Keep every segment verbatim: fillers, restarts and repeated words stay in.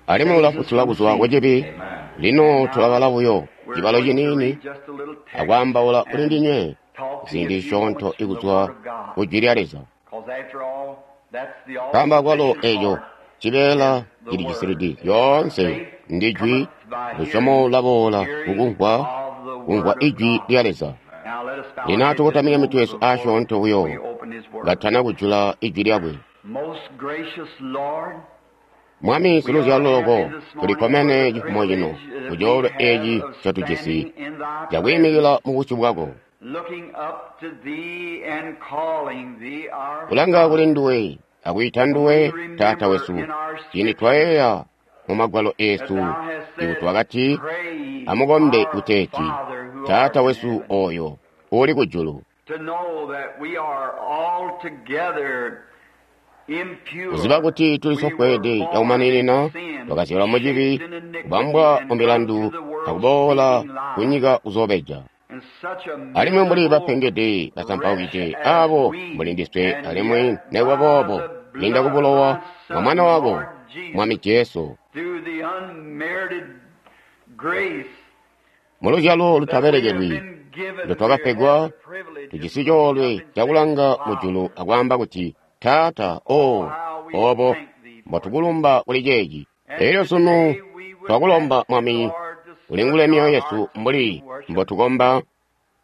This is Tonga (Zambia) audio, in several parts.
Alimwi ulafutula kuzwa kucibi. Lino tulabala buyo cibalo ciniini akwaambaula kuli ndinywe ziindi zisyoonto ikuzwa ku Jwi lya Leza. Nkaambo akwalo eco cibeela cili cisilidi lyoonse ndi Jwi, lusyomo lulaboola kukumvwa, kumvwa Ijwi lya Leza. Lino atukotamike mitwe yesu asyoonto buyo katana kujula Ijwi lyakwe. Mwami siluzyalo loko, tulikkomene cifumo cino ku coolwe eci ncotujisi cakwiimikila mu busyu bwako, kulanga kuli nduwe akwiita nduwe Taata wesu, ciindi twayeeya mu magwalo eesu ikuti wakati, amukombe kuteeti, Taata wesu oyo uli kujulu. Kuziba kuti tulisofweede cakumaninina, twakazyalwa mucibi, kubambwa mu milandu, akuboola kunyika kuzoobeja. Alimwi mbuli bapengede basampaukide aabo mbuli ndiswe, alimwi nekuba boobo kwiinda ku bulowa bwa Mwana wako, Mwami Jesu, muluzyalo lutabelekelwi ndotwakapegwa, tujisi coolwe cakulanga mujulu akwaamba kuti, Taata, oh, obo mbotukulumba kuli ceeci. Elyo sunu twakulomba, Mwami, ulingule myoyo yesu mbuli mbotukomba.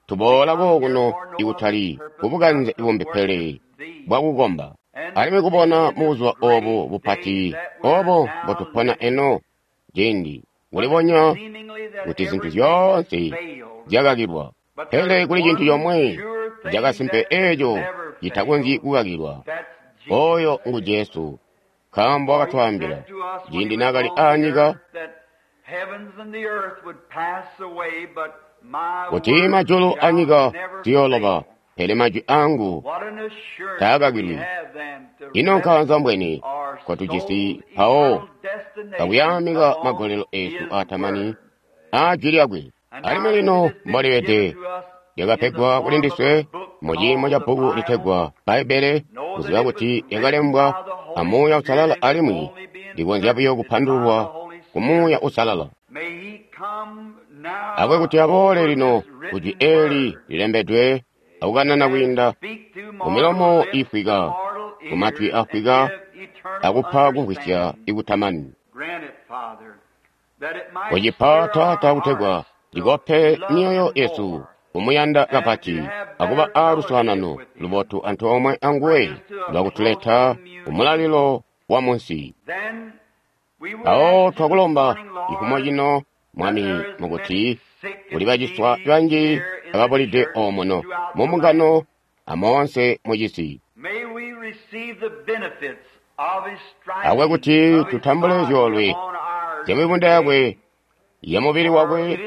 Tuboola kookuno ikutali kubukanze bumbi pele bwakukomba, alimwi kubona mubuzuba obu bupati obo mbotupona eno, ciindi kulibonya kuti zintu zyoonse zyakakilwa. Pele kuli cintu comwe cakasimpe eeco citakonzyi kukakilwa, oyo ngu Jesu, nkaambo wakatwaambila ciindi naakali aanyika kuti majulu anyika ziyooloba, pele majwi angu taakakilwi. Ino nkaanza mbweni nkotujisi mpawo kakuyaamika magolelo eesu aatamani aa Jwi lyakwe. Alimwi lino mbolibede lyakapegwa kuli ndiswe mu ciimo ca bbuku litegwa Bbaibbele, kuziba kuti lyakalembwa a Muuya Uusalala alimwi likonzya buyo kupandululwa ku Muuya Uusalala. Akwe kuti aboole lino ku Jwi eeli lilembedwe akukanana kwiinda kumilomo iifwika, kumatwi afwika, akupa kumvwisya ikutamani. Kucipa Taata kutegwa likope myoyo yesu kumuyanda kapati akuba aaluswaanano lubotu antoomwe anguwe lwakutuleta kumulalilo wa munsi. Mpawo twakulomba cifumo cino, Mwami, mukuti kuli baciswa banji ababulide omuno mumbungano amoonse mucisi. Akwe kuti tutambule zyoolwe zyamibunda yakwe yamubili wakwe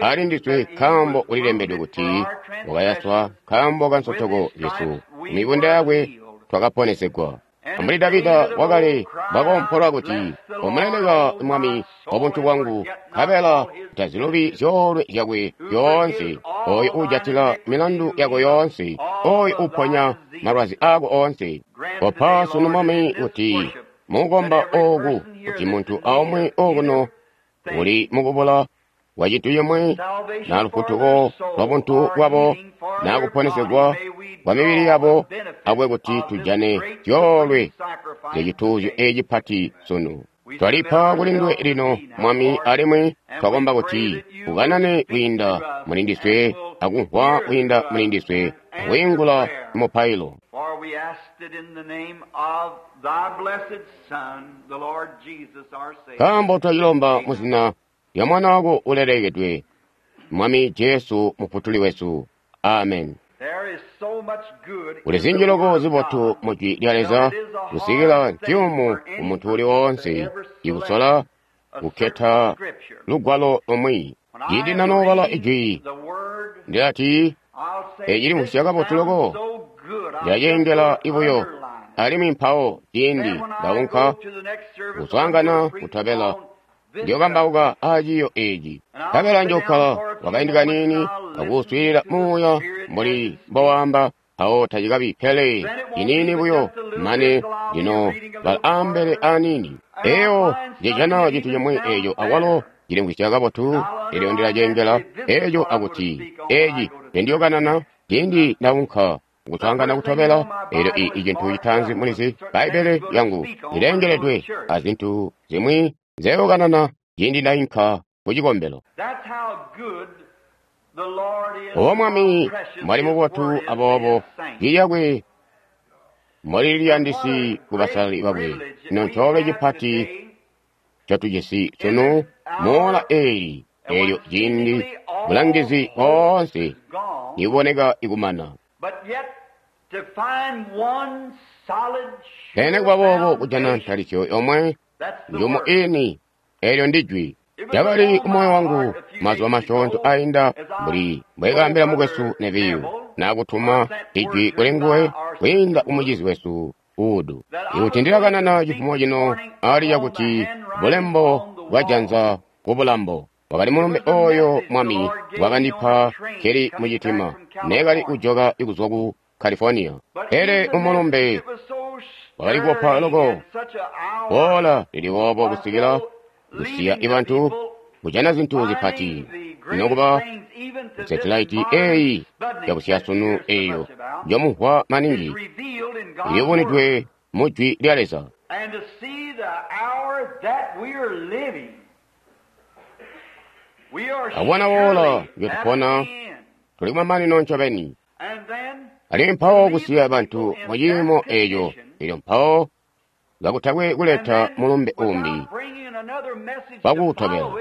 ali ndiswe, nkaambo kulilembedwe kuti wakayaswa nkaambo ka nsotoko zyesu, mibunda yakwe twakaponesegwa. Mbuli Davida wakale bwakoompola kuti, omuleleka Mwami wabuntu bwangu, nkabela tazilubi zyoolwe zyakwe zyoonse, oyo uujatila milandu yako yoonse, oyo uponya malwazi aako oonse. Kopa sunu, Mwami, kuti mukukomba ooku, kuti muntu aumwi okuno uli mukubula kwa cintu cimwi, na lufutuko lwa buntu bwabo, na kuponesegwa kwa mibili yabo, akwe kuti tujane zyoolwe zyacituuzyo eci cipati sunu. Twalipa kuli nduwe lino, Mwami, alimwi twakomba kuti ukanane kwiinda muli ndiswe, akumvwa kwiinda muli ndiswe, akwiingula mupailo. Nkaambo twacilomba muzina lya Mwana wako ulelekedwe, Mwami Jesu Mufutuli wesu. Amen. Kuli zinji loko zibotu mu Jwi lya Leza kusikila nciyumu ku muntu uli woonse ikusola kukketa lugwalo lumwi. Ciindi nanoobala Ijwi, ndilati, eci limvwisya kabotu loko, ndilaceengela ibuyo, alimwi mpawo ciindi ndaunka kuswaangana kutobela ndiyokambauka aaciiyo eeci. Nkabela njokkala kwakaindi kaniini akuuswiilila Muuya mbuli mbowaamba, mpawo tacikabi pele ciniini buyo mane lino bala ambele aniini. Eyo ndijana cintu cimwi eco awalo cilimvwisya kabotu, elyo ndilacengela eco akuti eci nendiyokanana ciindi ndaunka kuswaangana kutobela. Elyo i cintu citaanzi mulizi Bbaibbele lyangu lilengeledwe azintu zimwi nzeyokanana ciindi ndainka ku cikombelo. O Mwami mwali mubotu, aboobo jwi lyakwe mboli ku basalali bakwe. Ino ncoolwe cipati ncotujisi sunu moola eeli, eelyo ciindi bulangizi boonse nibuboneka ikumana. Pele nikuba boobo kujana ntalisyo yomwe njumu iini, eelyo ndi jwi. Lyakali kumoyo wangu mazuba masyoonto ainda, mbuli mbwekaambila mukwesu Neviyu, nakutuma ijwi kuli nguwe kwiinda kumucizi wesu Uudu, ikuti ndilakanana cifumo cino ali cakuti bulembo bwajanza ku bulambo. Wakali mulumbe oyo Mwami wakandipa keli mucitima nekali kujoka kuzwa ku California. Pele umulumbe wakali kukopa loko boola lili boobo kusikila kusiya ibantu kujana zintu zipati nokuba setilaiti eyi yabusyasunu eyo njomumvwa maningi iliyubunidwe mu jwi lya Leza. Akubona woola njotupona tuli kumamanino ncobeni. Alimwi mpawo kusiya bantu mu ciimo eco, elyo mpawo kakutakwe kuleta mulumbe umbi wakuutobela,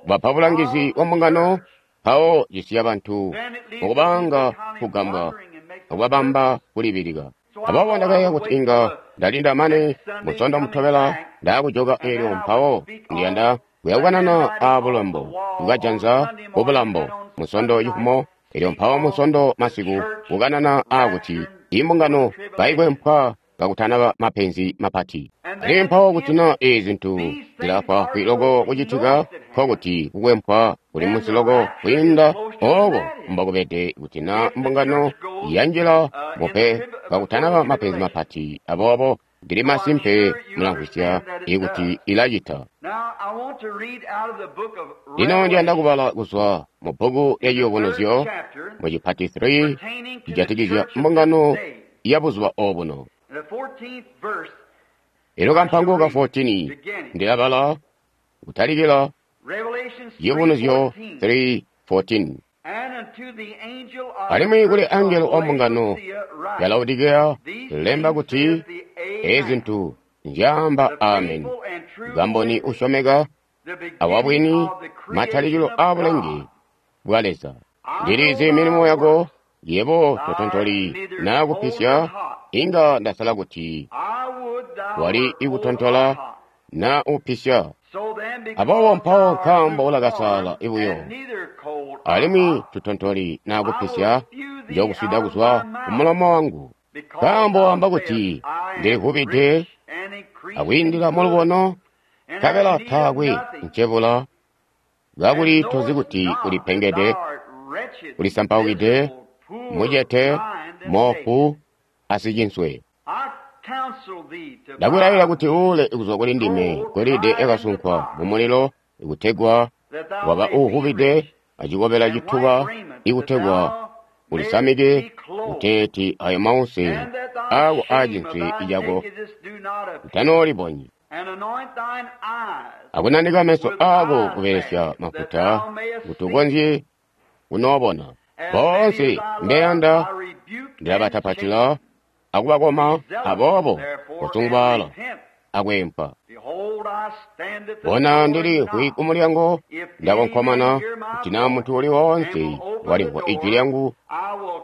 kubapa bulangizi bwa mbungano, mpawo cisiya bantu mukubanga kugambwa akubabamba kulibilika. Aboobo ndakayeeya kuti inga ndalinda mane musondo mutobela ndaakujoka, elyo mpawo ndiyanda kuyakukanana a bulambo bwajanza ku bulambo musondo cifumo, elyo mpawo musondo masiku kukanana aakuti imbungano kaikwempwa kakutanaba mapenzi mapati. Alimwi mpawo kuti na ezi zintu zilafwaafwi loko kucitika, nkokuti kukwempwa kuli munsi loko kwiinda oko mbokubede kuti na mbungano yanjila mupe kakutanaba mapenzi mapati. Aboobo ndili masimpe mulamvwisya ikuti ilacita. Lino ndiyanda kubala kuzwa mu bbuku lya Ciyubunuzyo mu cipati three cijatikizya mbungano ya buzuba obuno. Elyo kampango ka fourteen ndilabala kutalikila Ciyubunuzyo three fourteen. Alimwi kuli angelo wa mbungano ya Laodikeya lemba kuti ezi zintu nzyaamba Amen, kamboni usyomeka awabwini, matalikilo a bulenge bwa Leza. Ndilizi milimo yako, yebo totontoli naa kupisya. Inga ndasala kuti wali ikutontola naa upisya. Aboobo mpawo nkaambo ulakasaala ibuyo, alimwi tutontoli naa kupisya, njokuswida kuzwa kumulomo wangu. Nkaambo wamba kuti ndilivubide akwiindila mulubono, nkabela taakwe ncebula, kakuli tozi kuti ulipengede, ulisampaukide, mucete, moofu, asicinswe. Ndakulayilila kuti uule kuzwa kuli ndime golide yakasunkwa mumulilo, ikutegwa waba uuvubide, acikobela cituba, ikutegwa ulisamike, kuteeti ayo mause ako aacinswe cako utanoolibonyi. Akunanika meso ako kubelesya mafuta kuti ukonzye kunoobona. Boonse mbeyanda ndilabatapatila akubakoma, aboobo kusungwaala akwempa. Bona, ndiliimvwi kumulyango ndakonkomana, kuti naa muntu uli woonse walimvwa ijwi lyangu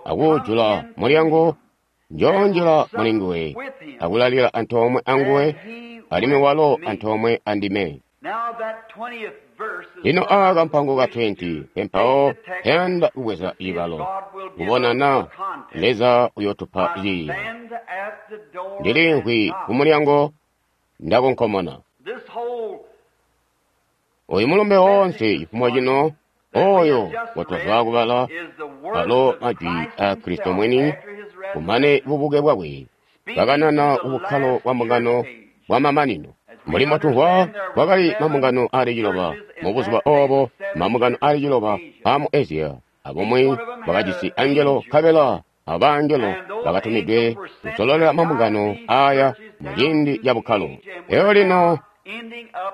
akuujula mulyango, njoonjila mulinguwe akulalila antoomwe anguwe, alimwi walo antoomwe andime. Lino aaka kampango ka twenty pempawo peyanda kubweza cibalo kubona na Leza uyotupa ciiyo. Ndiliimvwi kumulyango ndakonkomona. Oyu mulumbe woonse cifumo cino Oyo ngotwazwaa kubala alo majwi a Kristo mwini kumane bubuke bwakwe kakanana kubukkalo bwa mbungano bwa mamanino. Mbuli mbotumvwa, kwakali mambungano aali ciloba mubuzuba obo, mambungano aali ciloba aamu Asia, abumwi bwakajisi angelo nkabela abangelo bakatumidwe kusololela mambungano aya muciindi ca bukkalo. Elyo lino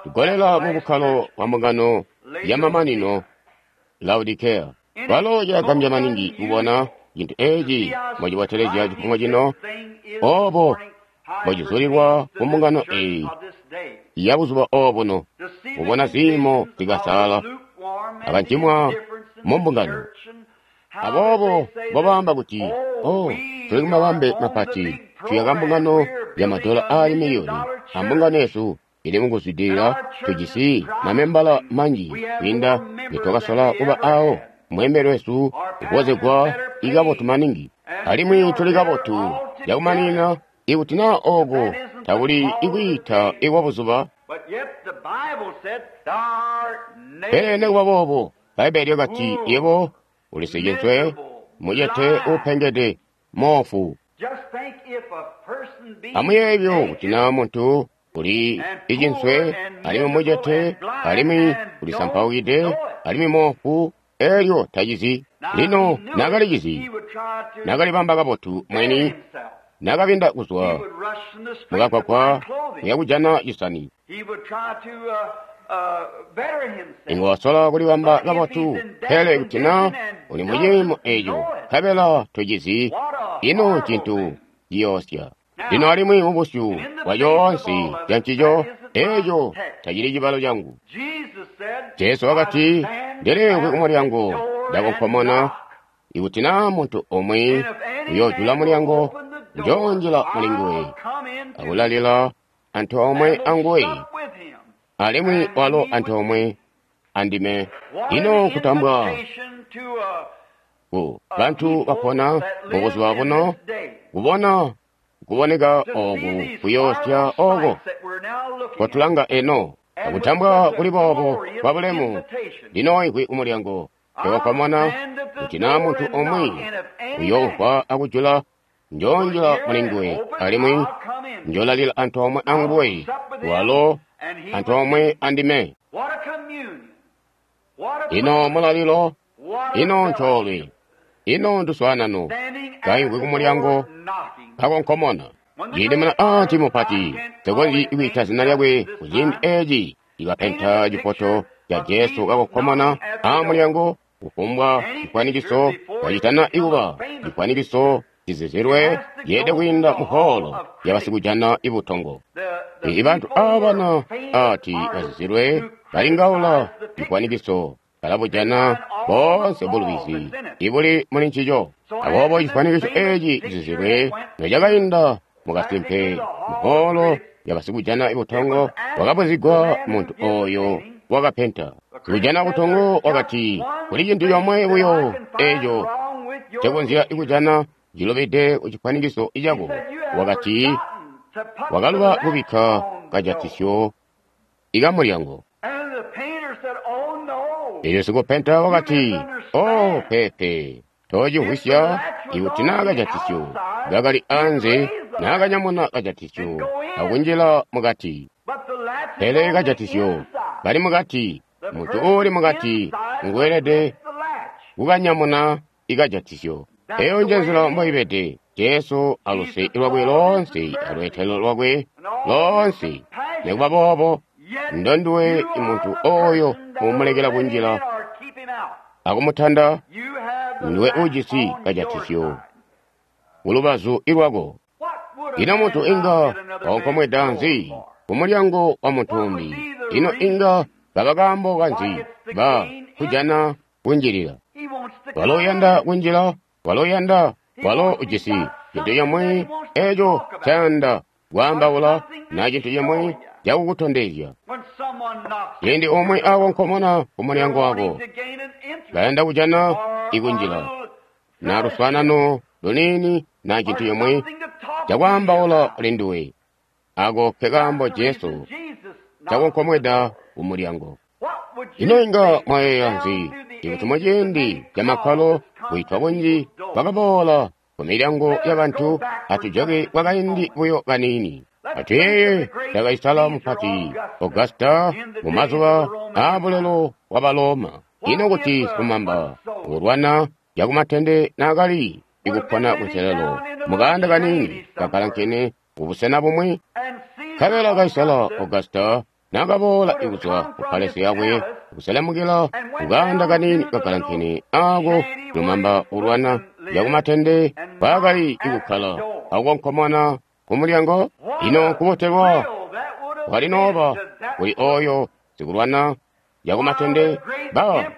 tugolela mu bukkalo bwa mbungano ya mamanino, Laodikea. Kwalo cilagambya maningi kubona cintu eci mbocibotelezya cifumo cino, obo mbocizulilwa ku mbungano eyi ya buzuba obuno, kubona ziimo zikasaala akancimwa mu mbungano. Aboobo mbobaamba kuti, oh, tuli kumabambe mapati, tuyaka mbungano ya madola aali miliyoni, a mbungano yesu ili mukuzwidilila, tujisi mamembala manji kwiinda nitwakasola kuba awo. Mweembeli wesu upozegwa ikabotu maningi, alimwi tuli kabotu cakumanina. Ikuti naa ooko takuli ikwiita ikwa buzuba, pele nekuba boobo Bbaibbele lyakati, yebo ulisicinswe, mucete, uupengede, moofu. Amuyeeye buyo kuti naa muntu uli icinswe, alimwi mucete, alimwi ulisampaukide, alimwi moofu, elyo tacizi. Lino nakalicizi, nakalibamba kabotu mwini, nakabinda kuzwa mukagwagwa kuya kujana cisani. Inga wasola kulibamba kabotu, pele kuti naa uli muciimo eco nkabela tocizi, ino ncintu ciyoosya. Lino alimwi mubusyu bwa coonse cancico, eco tacili cibalo cangu. Jesu wakati, ndiliimvwi kumulyango ndakonkomona. Ikuti naa muntu omwe uyoojula mulyango, njoonjila mulinguwe akulalila antoomwe anguwe, alimwi walo antoomwe andime. Ino kutambwa ku bantu bapona mubuzuba buno, kubona kuboneka oku kuyoosya oko kotulanga eno, akutambwa kuli boobo kwa bulemu. Ndinoimvwi kumulyango ndakonkomona, kuti naa muntu omwe uyoomvwa akujula, njoonjila mulinguwe, alimwi njoolalila antoomwe anguwe, walo antoomwe andime. Ino mulalilo, ino ncoolwe, ino nduswaanano, kaimvwi kumulyango kakonkomona. Ciindi muna aati mupati, nsikonzyi kwiita zina lyakwe kuciindi eci, ikapenta cifoto ca Jesu kakonkomona amulyango, kufumbwa cifwanikiso kacitana ikuba cifwanikiso cizizilwe ceede kwiinda muholo yabasikujana ibutongo. Ibantu abana ati bazizilwe balingaula cifwanikiso balabujana boonse bulubizi ibuli muli ncico. Aboobo cifwanikiso eci cizizilwe nocakainda mukasimpe muholo yabasikujana ibutongo, wakabuzigwa muntu oyo wakapenta. Sikujana butongo wakati, kuli cintu comwe buyo eco ncekonzya kujana cilobede ku cifwanikiso cako. Wakati, wakaluba kubikka kajatisyo ikamulyango. Elyo sikupenta wakati, oh, pepe, tocimvwisya. Ikuti naa kajatisyo kakali anze, naakanyamuna kajatisyo akunjila mukati. Pele kajatisyo kali mukati, muntu uuli mukati nguelede kukanyamuna ikajatisyo. Eyo njenzila mboibede. Jesu aluse lwakwe loonse, alweetelo lwakwe loonse, nekuba boobo ndonduwe muntu oyo umulekela kunjila akumutanda, nduwe ujisi kajatisyo kulubazu ilwako. Ino muntu inga wakonkomweda nzi kumulyango wa muntu umbi? Ino inga kaba kaambo kanzi ba kujana kunjilila? Walo uyanda kunjila, walo uyanda, walo ujisi cintu cimwi eco ncayanda kwaambaula, na cintu cimwi cakukutondezya. Ciindi umwi akonkomona kumulyango wako, kayanda kujana ikunjila, na luswaanano luniini, na cintu cimwi cakwaambaula kuli nduwe, ako ke kaambo Jesu cakonkomweda kumulyango. Ino inga mwayeeya nzi Ikuti muciindi camakkalo kwiitwa kunji kwakaboola kumilyango yabantu, atujoke kwakaindi buyo kaniini. Atuyeeye Kaisala mupati Augusta mumazuba aabulelo bwa Baloma. Ino kuti silumamba ulwana cakumatende naakali ikupona kunselelo mukaanda kaniini kakalankene kubusena bumwi? Nkabela Kaisala Augusta naakaboola ikuzwa ku palesi yakwe kuselemukila kukaanda kaniini kakalankene aako lumamba ulwana cakumatende mpaakali ikukkala akukonkomona kumulyango. Ino kubotelwa kwalinooba kuli oyo sikulwana cakumatende ba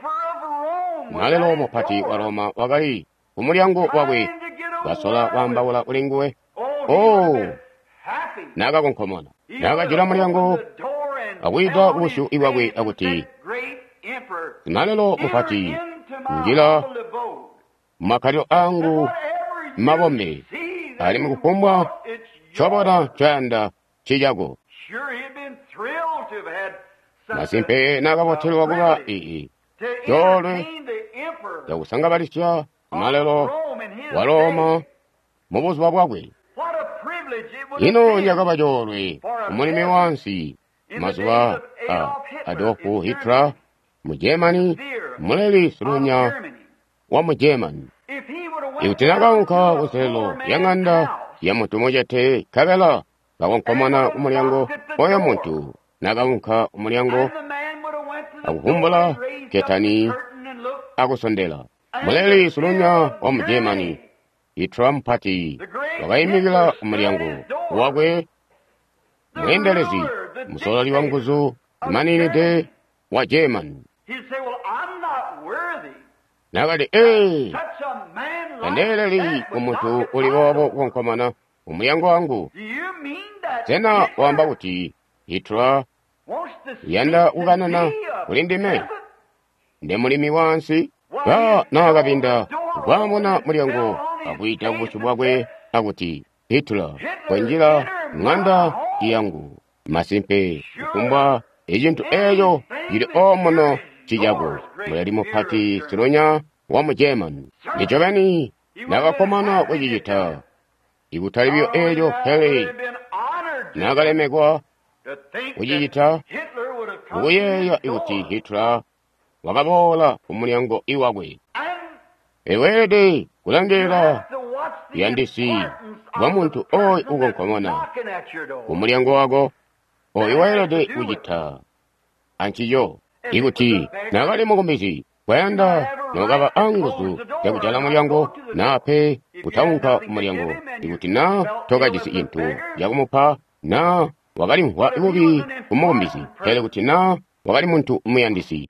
malelo mupati wa Roma wakali kumulyango wakwe kasola kwaambaula kuli nguwe. Oh, naakakonkomona, naakajula mulyango akwiita kubusyu bwakwe akuti, "Simalelo mupati, njila mumakkalilo angu mabombe, alimwi kufumbwa ncobona ncoyanda ncicako." Masimpe naakabotelwa kuba ii coolwe cakusangabalisya simalelo wa Roma mubuzuba bwakwe. Ino cakaba coolwe kumulimi wansi mazuba a Adolf Hitler mu Germany, muleli silunya wa mu Germany. Ikuti nakaunka kunselelo ya ŋanda ya muntu mucete nkabela kakonkomona kumulyango, oyo muntu nakaunka kumulyango akuvumbula ketani akusondela. Muleli silunya wa mu Germany Hitler mupati wakaimikila kumulyango wakwe, mweendelezi musololi wa nguzu zimaninide wa Germany. Nakati, "Ee, tandeeleli kumuntu uli boobo kukonkomona kumulyango wangu. Sena waamba kuti Hitler uyanda kukanana kuli ndime? Nde mulimi wansi?" Ba naakabinda kwamuna mulyango akwiita kubusyu bwakwe akuti, "Hitler, konjila ŋanda yangu. Masimpe kufumbwa icintu eeco cili omuno ncicako." Muleli mupati silunya wa mu Germany. Ncobeni naakakkomana kucicita, ikutali buyo eeco pele naakalemekwa kucicita, kukuyeeya ikuti Hitler wakaboola kumulyango iwakwe. Eweelede kulangilila buyandisi bwa muntu oyu ukonkomona kumulyango wako, oyu weelede kucita ancico. Ikuti naakali mukumbizi kwayanda nokaba anguzu zyakujala mulyango naa pe kutaunka kumulyango. Ikuti naa tokajisi cintu cakumupa naa wakalimvwa bubi kumukumbizi, pele kuti naa wakali muntu muyandisi.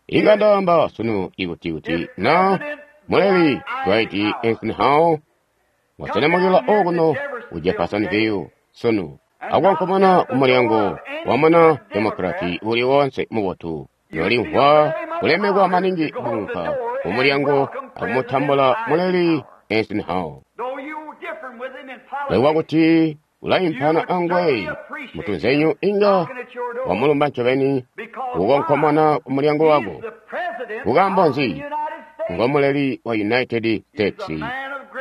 Inga ndaamba sunu ikuti kuti naa muleli Dwight Eisenhower waselemukila okuno ku Jeffersonville sunu akukonkomona kumulyango wamuna Demokrati uli wonse mubotu, nolimvwa kulemekwa maningi kuunka kumulyango akumutambula muleli Eisenhower. Lekuba kuti ulaimpana anguwe mutunzenyu, inga wamulumba ncobeni kukonkomona kumulyango wako. Kukaambo nzi? Ngomuleli wa United States,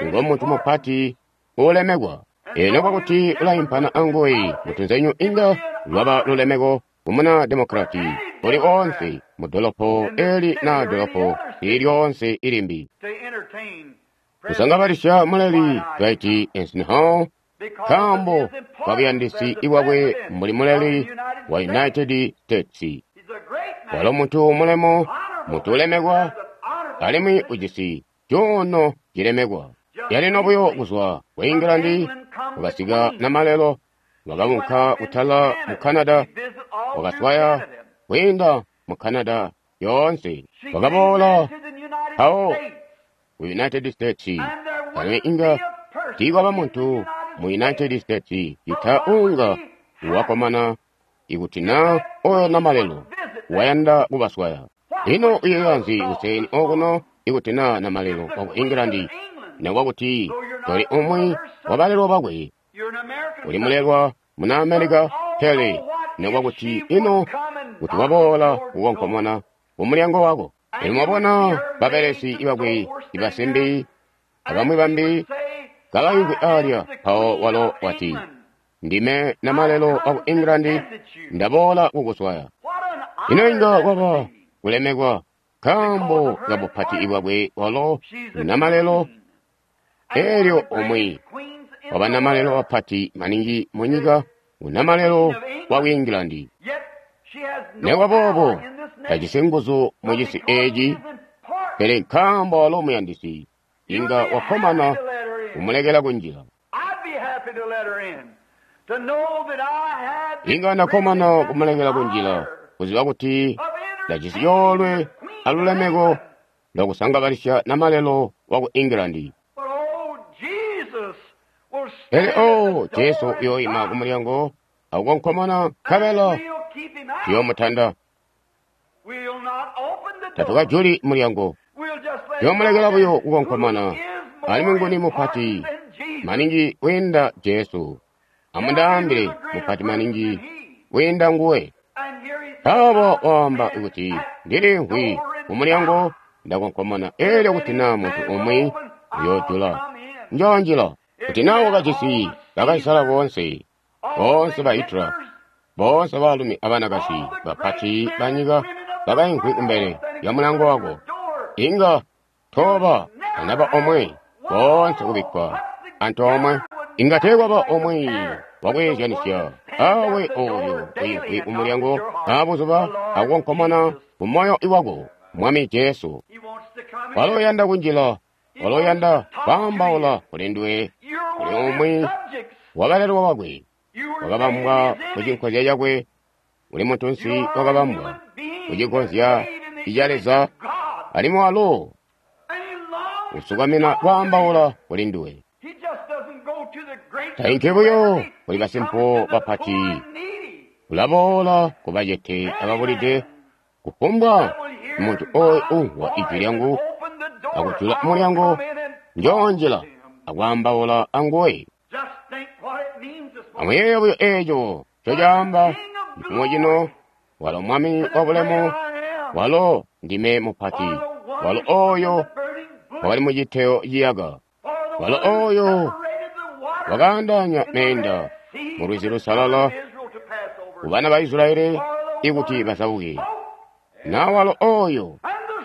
ngomuntu mupati uulemekwa. Eno kwakuti ulaimpana anguwe mutunzenyu, inga lwaba lulemeko kumuna Demokrati uli onse mu dolopo eli na dolopo ili lyonse ilimbi. Kusangabalisya muleli Dwight Eisenhower nkaambo kabuyandisi ibwakwe mbuli muleli wa United States. Walo muntu mulemo, muntu ulemekwa, alimwi ujisi cuuno cilemekwa. Yalino buyo kuzwa ku England wakasika namalelo, wakaunka kutala mu Canada, wakaswaya kwiinda mu Canada yoonse, wakaboola mpawo ku United States. Alimwi inga tiikwaba muntu mu United States cita unga wakomana ikuti naa oyo namalelo wayanda kubaswaya. Ino uyeeya nzi kuseni okuno ikuti naa namalelo waku England, nekuba kuti toli umwi wa balelwa bakwe, uli mulelwa muna America, pele nekuba kuti ino kuti waboola kukonkomona kumulyango wako. Elyo mwabona babelesi bakwe ibasimbi abamwi bambi kabaimvwi alya, mpawo walo wati, Ndime namalelo waku England, ndaboola kukuswaya. Ino inga kwaba kulemekwa nkaambo kabupati bwakwe walo namalelo, elyo umwi waba namalelo bapati maningi munyika unamalelo waku England. Nekuba boobo tajisi nguzu mucisi eeci, pele nkaambo walo muyandisi, inga wakkomana kumulekela kunjila. Inga ndakkomana kumulekela kunjila, kuziba kuti ndajisi coolwe alulemeko lwakusangabalisya namalelo waku England. Pele oh, Jesu uyooima kumulyango akukonkomona, nkabela tuyoomutanda. Tatukajuli mulyango, tuyoomulekela buyo kukonkomona. Alimwi nguni mupati maningi wiinda Jesu? Amundaambile mupati maningi wiinda nguwe. Mpawo waamba kuti, Ndiliimvwi kumulyango ndakonkomona, elyo kuti naa muntu umwi uyoojula, njoonjila. Kuti naa wakajisi bakaisala boonse, boonse ba Hitler, boonse baalumi abanakazi bapati banyika bakaimvwi kumbele lya mulyango wako, inga tooba anaba omwe, boonse kubikkwa antoomwe. Inga teekwaba omwe wakweezyanisya awe ooyo uimvwi kumulyango abuzuba akukonkomona kumoyo wako, Mwami Jesu. Walo uyanda kunjila, walo uyanda kwaambaula kuli nduwe, kuli umwi wabalelwa bakwe, wakabambwa kucinkozya cakwe, uli muntunsi wakabambwa kucinkozya ca Leza, alimwi walo usukamina kwaambaula kuli nduwe. Tainki buyo kuli basimpo bapati, ulaboola kubacete ababulide. Kufumbwa muntu oyo umvwa ijwi lyangu akujula mulyango, njoonjila akwaambaula anguwe. Amuyeeye buyo eeco ncocaamba cifumo cino, walo Mwami wabulemu, walo ndime mupati, walo oyo wakali muciteyo ciyaka, walo oyo wakaandaanya meenda mu lwizi lusalala kubana ba Israyeli ikuti bazabuke, na walo oyo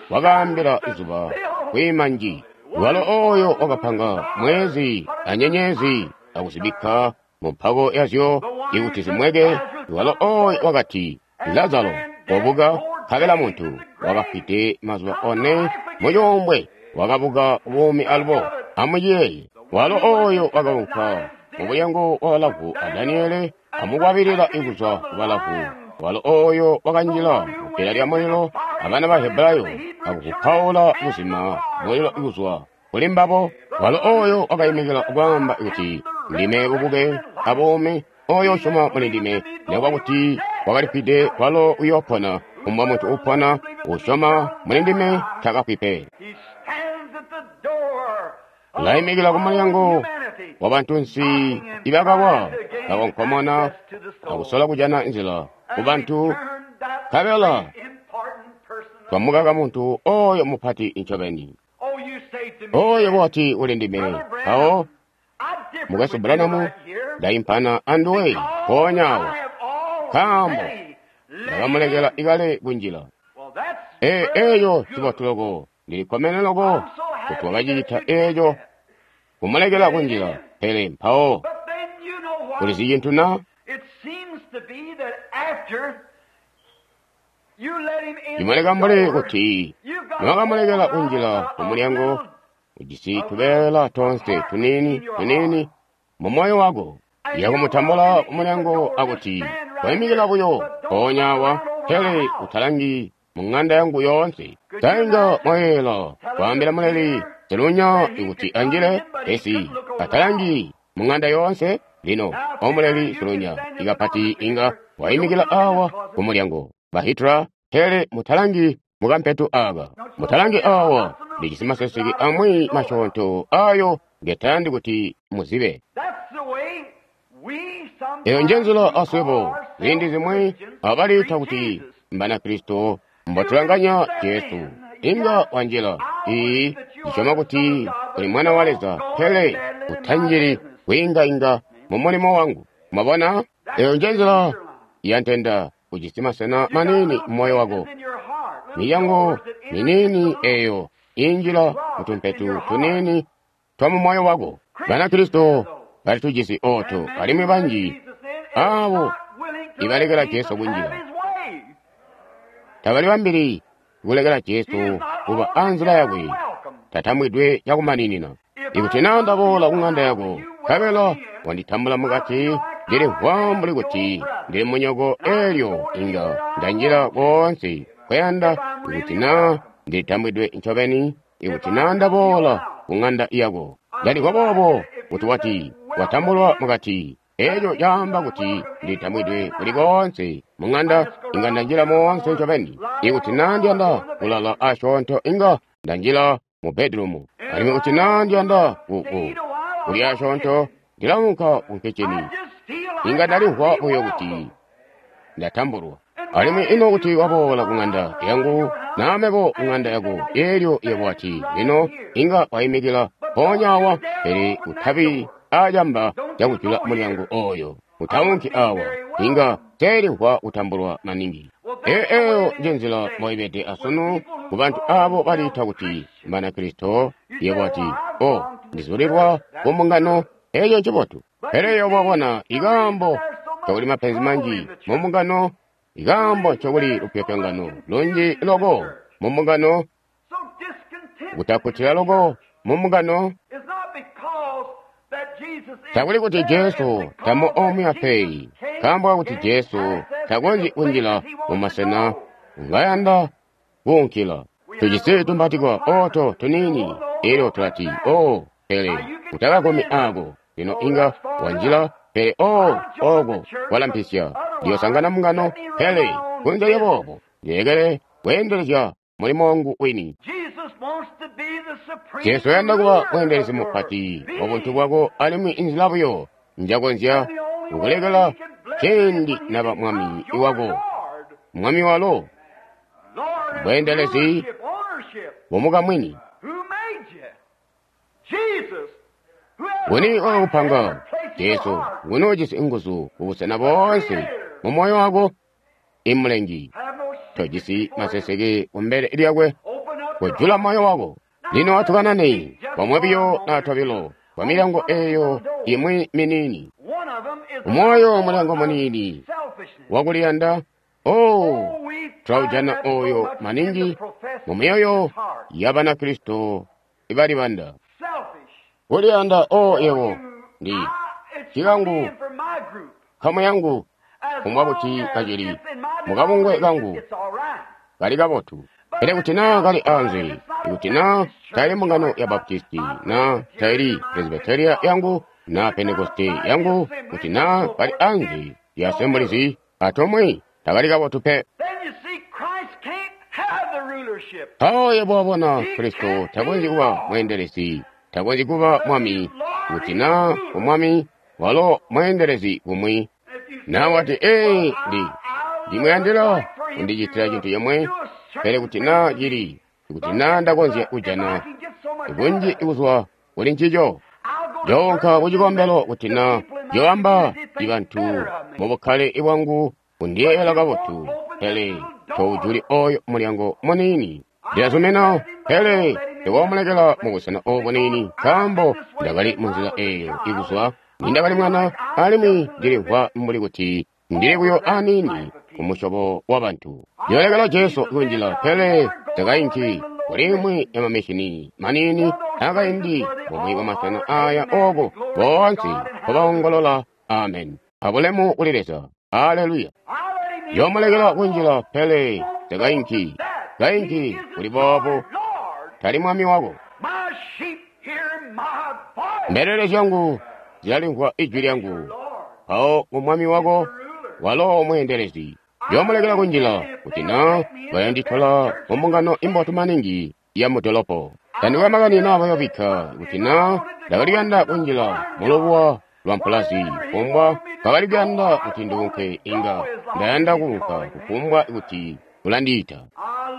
wakaambila izuba kwiima nji, walo oyo wakapanga mwezi anyenyezi akuzibikka mu mpako yazyo ikuti zimweke, walo oyo wakati, Lazaro, kobuka. Nkabela muntu wakafwide mazuba one mucuumbwe wakabuka buumi alubo. Amuyeeye, walo oyo wakaunka mumulyango wa balavu a Daniele amukwabilila ikuzwa ku balavu, walo oyo wakanjila mubbila lya mulilo abana ba Hebrayo akukupaula kuzima mulilo ikuzwa kuli mbabo, walo oyo wakaimikila kwaamba kuti, Ndime bubuke abuumi, oyo usyoma muli ndime, nekuba kuti wakalifwide, walo uyoopona. Kufumbwa muntu uupona usyoma muli ndime takafwi pe. Ulaimikila kumulyango wa bantunsi ibakawa, bakonkomona akusola kujana nzila kubantu, nkabela twamukaka muntu oyo mupati ncobeni. Oyo wati uli ndime, mpawo mukwesu Branham, ndaimpana anduwe mpoonya awo, nkaambo ndakamulekela ikale kunjila. E, eeyo cibotu loko, ndilikkomene loko kuti wakacicita eeco, kumulekela kunjila. Pele mpawo ulizi cintu na? Cimuleka mbuli kuti niwakamulekela kunjila kumulyango, ujisi tubeela tonse tuniini tuniini mu moyo wako. Yakumutambula kumulyango akuti, Koimikila buyo mpoonya awa, pele utalangi mu ŋanda yangu yoonse. Tainga mwayeela kwaambila muleli silunya ikuti anjile, pesi atalangi mu ŋanda yoonse. Lino omuleli silunya ikapati inga waimikila awa kumulyango. Ba Hitler, pele mutalangi mukampetu aka, mutalangi awa, ndijisi maseseke amwi masyoonto ayo ngetayandi kuti muzibe. Eyo njenzila aswebo ziindi zimwi abaliita kuti Mbanakristo mbotulanganya Jesu. Inga wanjila, ii, ndisyoma kuti uli Mwana wa Leza, pele utanjili kwiingainga mu mulimo wangu. Mwabona? Eyo nje nzila ya ntenda. Ujisi masena maniini mu moyo wako, milyango miniini eyo injila mutumpetu tuniini twa mu moyo wako. Banakristo bali tujisi oto, alimwi banji abo ibalekela Jesu kunjila tabali bambili kulekela Jesu kuba anzila yakwe tatambwidwe cakumaninina. Ikuti naa ndaboola ku ng'anda yako, nkabela wanditambula mukati, ndilimvwa mbuli kuti ndili munyoko, elyo inga ndanjila koonse kweyanda. Ikuti naa ndilitambwidwe ncobeni, ikuti naa ndaboola ku ng'anda yako, ndalimvwa boobo kuti wati watambulwa mukati, eco caamba kuti ndilitambwidwe kuli koonse mu ng'anda, inga ndanjila moonse ncobeni. Ikuti naa ndiyanda kulala asyoonto, inga ndanjila mu bedroom. Alimwi kuti naa ndiyanda ku kulya asyoonto, ndilaunka ku kitchen. Inga ndalimvwa buyo kuti ndatambulwa. Alimwi ino kuti waboola ku ng'anda yangu, naa mebo ku ng'anda yako, elyo yebo wati, lino inga waimikila mpoonya awa, pele utabi acamba cakujula mulyango oyo, utaunki awa, inga teelimvwa kutambulwa maningi. Eyo eyo nje nzila mboibede asunu ku bantu abo baliita kuti Mbanakristo. Yebo wati, o, ndizulilwa ku mbungano, eco ncibotu. Pele yebo wabona ikaambo ncokuli mapenzi manji mu mbungano, ikaambo ncokuli lupyopyongano lunji loko mu mbungano, kutakkutila loko mu mbungano, takuli kuti Jesu tamu omwe pe, nkaambo kakuti Jesu takonzyi kunjila mu masena ngayanda kuunkila. Tujisi tumbatikwa oto tuniini, elyo tulati, o, pele utakakomi ako. Lino inga wanjila, pele o, oko walampisya, ndiyosangana mbungano, pele kunze lyaboobo ndilekele kweendelezya mulimo wangu wini. Jesu uyanda kuba mweendelezi mupati wa buntu bwako, alimwi inzila buyo njakonzya kukulekela ciindi naba mwami wako. Mwami walo bweendelezi bumukamwini. Nguni wakakupanga? Jesu. Nguni ujisi nguzu kubusena boonse mu moyo wako? Imulengi. Tojisi maseseke kumbele lyakwe, kujula moyo wako. Lino atukanane bomwe biyo na tobilo kwa milyango eyo imwi miniini. Umwoyo mulyango muniini wakuliyanda, oh, tulaujana oyo maningi mu myoyo ya Banakristo ibalibanda. Kuliyanda, oh, yebo ndi cikangu nkamu yangu kumwa kuti kacili mukabungwe kangu kali kabotu. Pele kuti naa kali anze, ikuti naa taili mbungano ya Baptisti, naa taili Presbyteria yangu, naa Pentekoste yangu, kuti naa kali anze ya Assemblies atomwe, takali kabotu pe. Mpawo yebo wabona Kristo takonzyi kuba mweendelezi, takonzyi kuba mwami, kuti naa umwami walo mweendelezi kumwi. Naa wati, ee, ndi ndimuyandila kundicitila cintu cimwe, pele kuti naa cili, kuti naa ndakonzya kujana bunji kuzwa kuli ncico, njoonka ku cikombelo kuti naa njoamba bantu mu bukkale bwangu kundiyeeyela kabotu, pele toujuli oyo mulyango muniini. Ndilazumina, pele ndikoomulekela mubusena obu buniini, nkaambo ndakali munzila eyo ikuzwa nindakali mwana, alimwi ndilimvwa mbuli kuti ndili buyo aniini ku musyobo wa bantu. Ndiyoolekela Jesu kunjila, pele takainki kuli imwi ya mamishini maniini akaindi bumwi bwa masena aya oko boonse nkobaongolola amen, abulemu kuli Leza, aleluya. Ndiyoomulekela kunjila, pele takainki kainki kuli boobo, tali mwami wako. Mbelele zyangu zilalimvwa ijwi lyangu, mpawo ku mwami wako walo mweendelezi. Ndiyoomulekela kunjila kuti naa bayanditola mu mbungano imbotu maningi ya mudolopo. Tandikwe makani naa bayobikka kuti naa ndakaliyanda kunjila mulubuwa lwa mpulazi. Kufumbwa kwakali kuyanda kuti nduunke, inga ndayanda kuunka kufumbwa kuti ulandiita.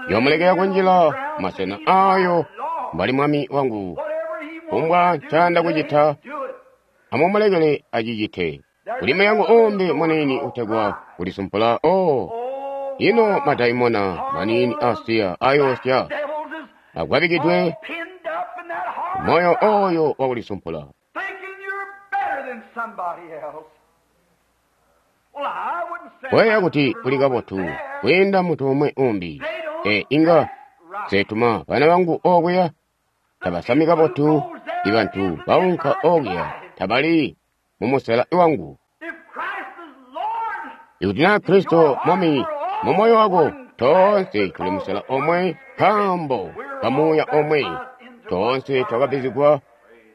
Yoomulekela kunjila masena ayo mbali mwami wangu. Kufumbwa ncayanda kucita, amumulekele acicite. Kuli mulyango uumbi muniini utegwa kulisumpula. Oh, ino madaimona maniini asiya ayoosya agwabikidwe moyo oyo wakulisumpula. Koyeeya kuti uli kabotu kwiinda muntu umwi umbi. E, inga nsetuma bana bangu okuya tabasami kabotu. Ibantu baunka okuya tabali mumusela wangu. Ikuti naa Kristo mwami mumoyo wako, toonse tuli musela omwe nkaambo kamuuya omwe. Toonse twakabbizigwa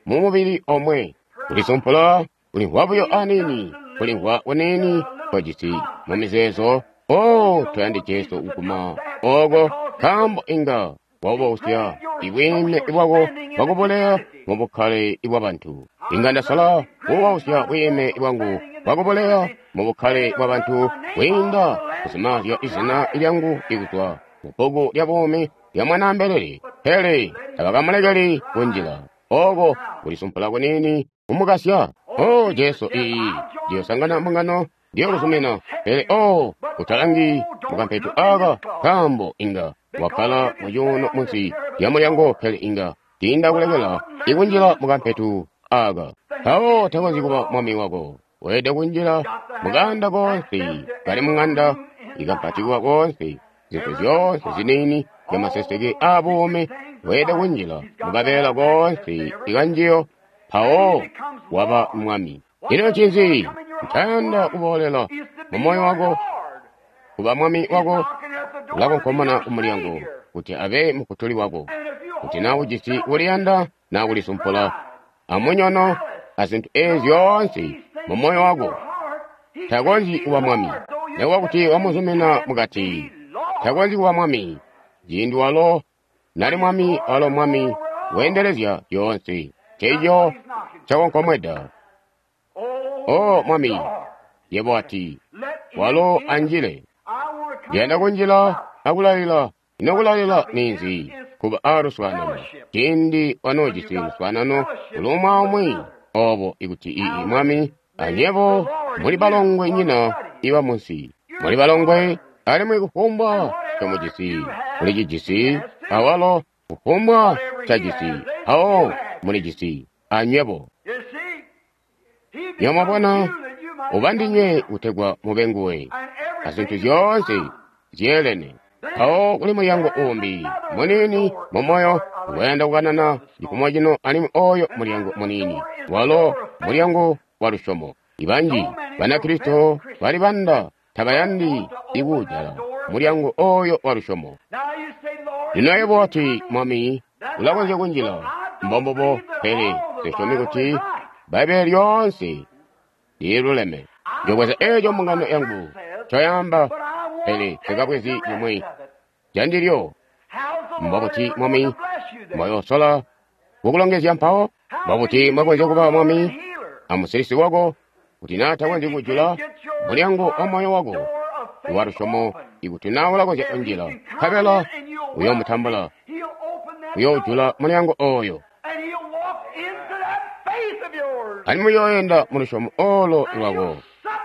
mu mubili omwe. Kulisumpula kulimvwa buyo aniini, kulimvwa kuniini kwajisi mu mizeezo. Oh, toyandi Jesu kuguma oko, nkaambo inga waubusya ibwiime bwako bwakubuleya mu bukkale bwabantu. Inga ndasala kuubusya bwiime bwangu bwakubuleya mu bukkale bwabantu kwiinda kuzimaazya izina lyangu ikuzwa mu bbuku lya buumi lya Mwanaambelele. Pele tabakamulekeli kunjila oko kulisumpula kuniini kumukasya. Oh, Jesu, iyi ndiyosangana mbungano, ndiyokuzumina. Pele oh, utalangi mukampetu aka, nkaambo inga wakkala mucuuno munsi lya mulyango, pele inga tiinda kulekela ikunjila mukampetu aka. Mpawo takonzyi kuba mwami wako. Weelede kunjila mukanda konse kali mung'anda ikampatikwa konse, zintu zyoonse ziniini zyamaseseke aabuumi. Weelede kunjila mukabeela konse ikanjiyo, mpawo waba mwami. Ino ncinzi ncayanda kuboolela mumoyo wako? Kuba mwami wako ulakonkomona kumulyango kuti abe mufutuli wako. Kuti naa ujisi kuliyanda naa kulisumpula amunyono azintu eezi zyoonse mumoyo wako, takonzyi kuba mwami. Nikuba kuti wamuzumina mukati, takonzyi kuba mwami. Ciindi walo nali mwami, walo mwami weendelezya zyoonse. Nceeco ncakonkomweda. O mwami, yebo ati, walo anjile. Ndiyanda kunjila akulalila. Ino kulalila ninzi? Kuba aaluswaanano. Ciindi wanoojisi luswaanano kulumwa umwi obo, ikuti ii mwami anyebo muli balongwe nyina iba munsi. Muli balongwe, alimwi kufumbwa ncomujisi mulicijisi, awalo kufumbwa ncajisi awo mulijisi anywebo. Nyomwabona, ubandinywe kutegwa mube nguwe, azintu zyoonse zyeelene. Mpawo kuli mulyango umbi muniini mumoyo ngwayanda kukanana cifumo cino, alimwi oyo mulyango muniini walo mulyango wa lusyomo. Ibanji Banakristo balibanda tabayandi ikuujala mulyango oyo wa lusyomo. Lino yebo wati, Mwami, ulakonzya kunjila. Mbombubo, pele nsisyomi kuti Bbaibbele lyoonse liluleme. Njobweza eeco mbungano yangu ncoyaamba, pele nsikabwezi cimwi candilyo. Mbobuti Mwami mbwayoosola kukulongezya mpawo? Mbobuti mbwakonzya kuba Mwami amusilisi wako kuti naa takonzyi kujula mulyango wa moyo wako wa lusyomo? Ikuti naa ulakonzya kunjila, nkabela uyoomutambula, uyoojula mulyango oyo, alimwi uyooyenda mu lusyomo olo lwako,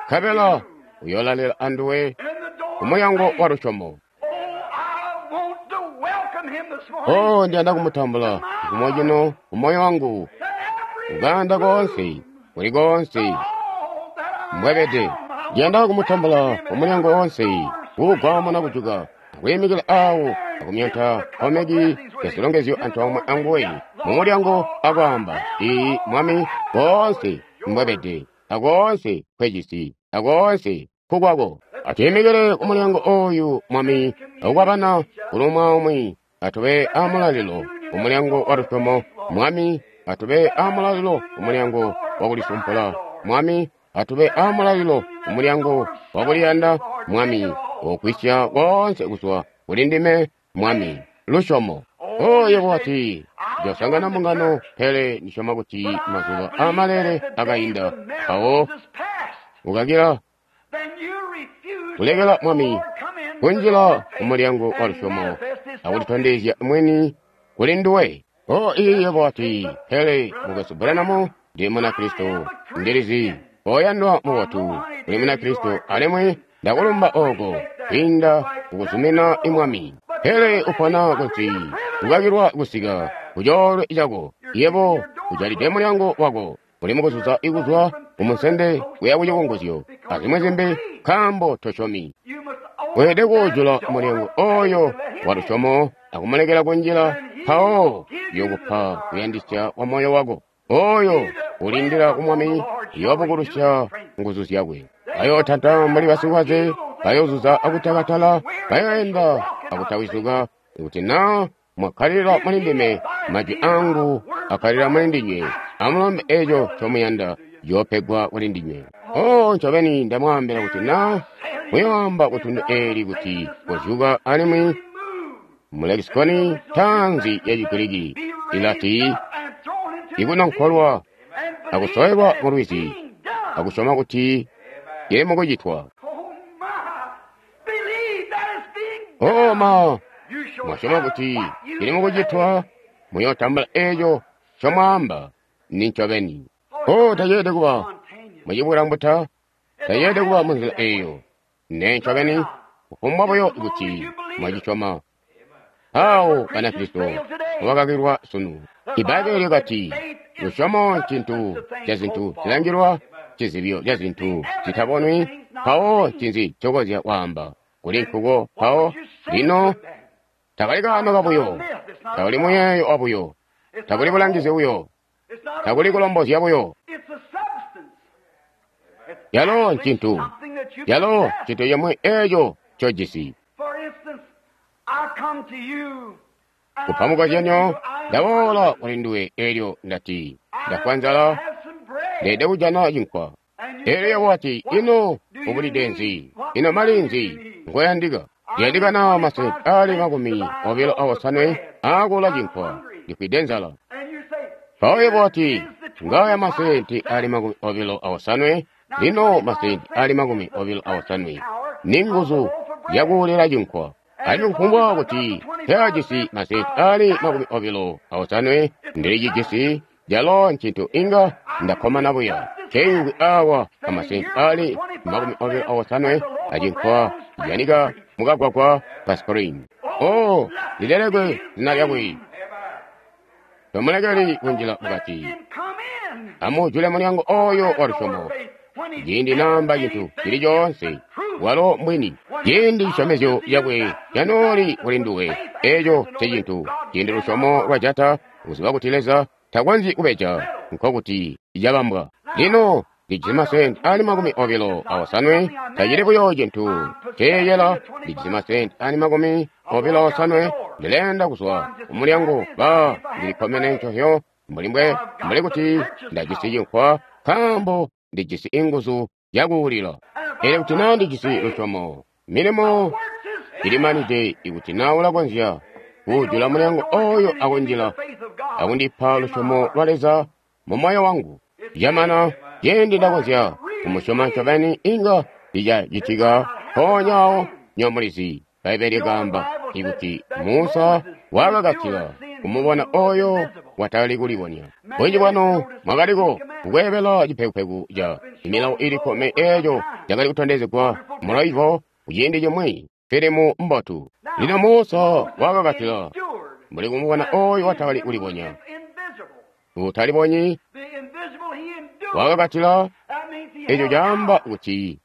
nkabela uyoolalela anduwe kumulyango wa lusyomo. Oh, ndiyanda kumutambula cifumo cino kumoyo wangu, kuganda konse, kuli konse mbwebede. Ndiyanda kumutambula kumulyango wonse, kuugwamuna kujuka, akuyimikila awo, akumyonta komeki ya zilongezyo antoomwe anguwe mumulyango, akwaamba, Iyi Mwami, koonse mbwebede, akoonse nkwejisi, akoonse nkukwako. Atuyimikile kumulyango oyu Mwami, akukwabana kulumwa umwi. Atube amulalilo kumulyango wa lusyomo, Mwami. Atube amulalilo kumulyango wakulisumpula, Mwami. Atube amulalilo kumulyango wakuliyanda, Mwami. Okwisya koonse kuzwa kuli ndime, Mwami. Lusyomo. Oh, yebo wati, Njosangana mbungano, pele ndisyoma kuti mazuba aamalele akainda. Mpawo ukakila kulekela Mwami kunjila kumulyango wa lusyomo akulitondezya mwini kuli nduwe. O iye wati, pele mukwesu Branham, ndi Munakristo, ndilizi oyandwa mubotu uli Munakristo, alimwi ndakulumba oko kwiinda kukuzumina Mwami. Pele upona kuti ukakilwa kusika kucoolwe cako, yebo ujalide mulyango wako, uli mukuzuza ikuzwa kumunsende kuya kucikunguzyo azimwi zimbi, nkaambo tosyomi. Weelede kuujula mulyango oyo wa lusyomo akumulekela kunjila, mpawo yokupa kuyandisya kwa moyo wako. Oyo ulindila ku Mwami uyoobukulusya nguzu zyakwe. Bayootanta mbuli basikwaze, bayoozuza akutakatala, bayoenda akutawizuka. Ikuti naa mwakkalila muli ndime, majwi angu akkalila muli ndinywe, amulombe eco ncomuyanda, ciyoopegwa kuli ndinywe. Oh, ncobeni ndamwaambila kuti naa muyoamba kutundu eeli kuti kozyuka, alimwi mu lexicon ntaanzi ya Chigiriki ilati ikunonkolwa akusowelwa mu lwizi akusyoma kuti ili mukucitwa. Oh ma, mwasyoma kuti ili mukucitwa, muyootambula eco ncomwaamba ni ncobeni. Oh, taceelede kuba mucibulambuta, taceelede kuba munzila eyo. Ne ncobeni, kufumbwa buyo kuti mwacisyoma. Awo Banakristo bakakilwa sunu. Ibbaibbele lyakati lusyomo ncintu ca zintu zilangilwa, cizibyo ca zintu zitabonwi. Mpawo ncinzi ncokonzya kwaamba kuli nkuko? Mpawo lino takali kaano kabuyo, takuli muyeeyo wabuyo, takuli bulangizi buyo, takuli kulombozya buyo. Yalo ncintu, yalo ncintu cimwi eco ncojisi. Kupa mukozyanyo, ndaboola kuli nduwe elyo ndati, ndafwa nzala, ndeede kujana cinkwa. Elyo yebo wati, ino ubulide nzi? Ino mali nzi ngoyandika? Ndiyandikana masenti ali makumi obilo awosanwe aakula cinkwa, ndifwide nzala. Mpawo yebo wati, ngaya masenti ali makumi obilo awosanwe, lino masenti ali makumi obilo awosanwe ni nguzu zyakuulila cinkwa. Alimwi kufumbwa kuti teajisi masenti ali makumi obilo awosanwe, ndilicijisi, calo ncintu inga ndakkomana buya. Nceingwi awa amasenti ali makumi obilo awosanwe acinkwa cijanika mukagwagwa ka Spring. Oh, lilelekwe zina lyakwe. Tomulekeli kunjila mukati. Amujule mulyango oyo wa lusyomo. Ciindi naamba cintu cili coonse, walo mbwini. Ciindi cisyomezyo cakwe canooli kuli nduwe, eco ncecintu. Ciindi lusyomo lwajata, kuziba kuti Leza takonzyi kubeja, nkokuti cabambwa. Lino ndijisi masenti ali makumi obilo awosanwe, tacili buyo cintu nceeyela. Ndijisi masenti ali makumi obilo awosanwe, ndileenda kuzwa kumulyango, ba ndilikkomene ncohyo mbuli mbwe mbuli kuti ndajisi cinkwa, nkaambo ndijisi inguzu zyakuulila. Pele kuti naa ndijisi lusyomo, milimo ilimanide. Ikuti naa ulakonzya kuujula mulyango oyo akunjila akundipa lusyomo lwa Leza mu moyo wangu, camana ciindi ndakonzya kumusyoma ncobeni, inga licacitika mpoonya awo. Nyomulizi Bbaibbele likaamba ikuti Musa wakakatila kumubona oyo watali kulibonya. Bunji bwanu mwakaliko kukweebela cipekupeku ca milawo ili kkumi eeco cakali kutondezegwa mulaivo kuciindi cimwi, filimu mbotu. Lino Musa wakakatila mbuli kumubona oyo watakali kulibonya. Utalibonyi wakakatila, eco caamba kuti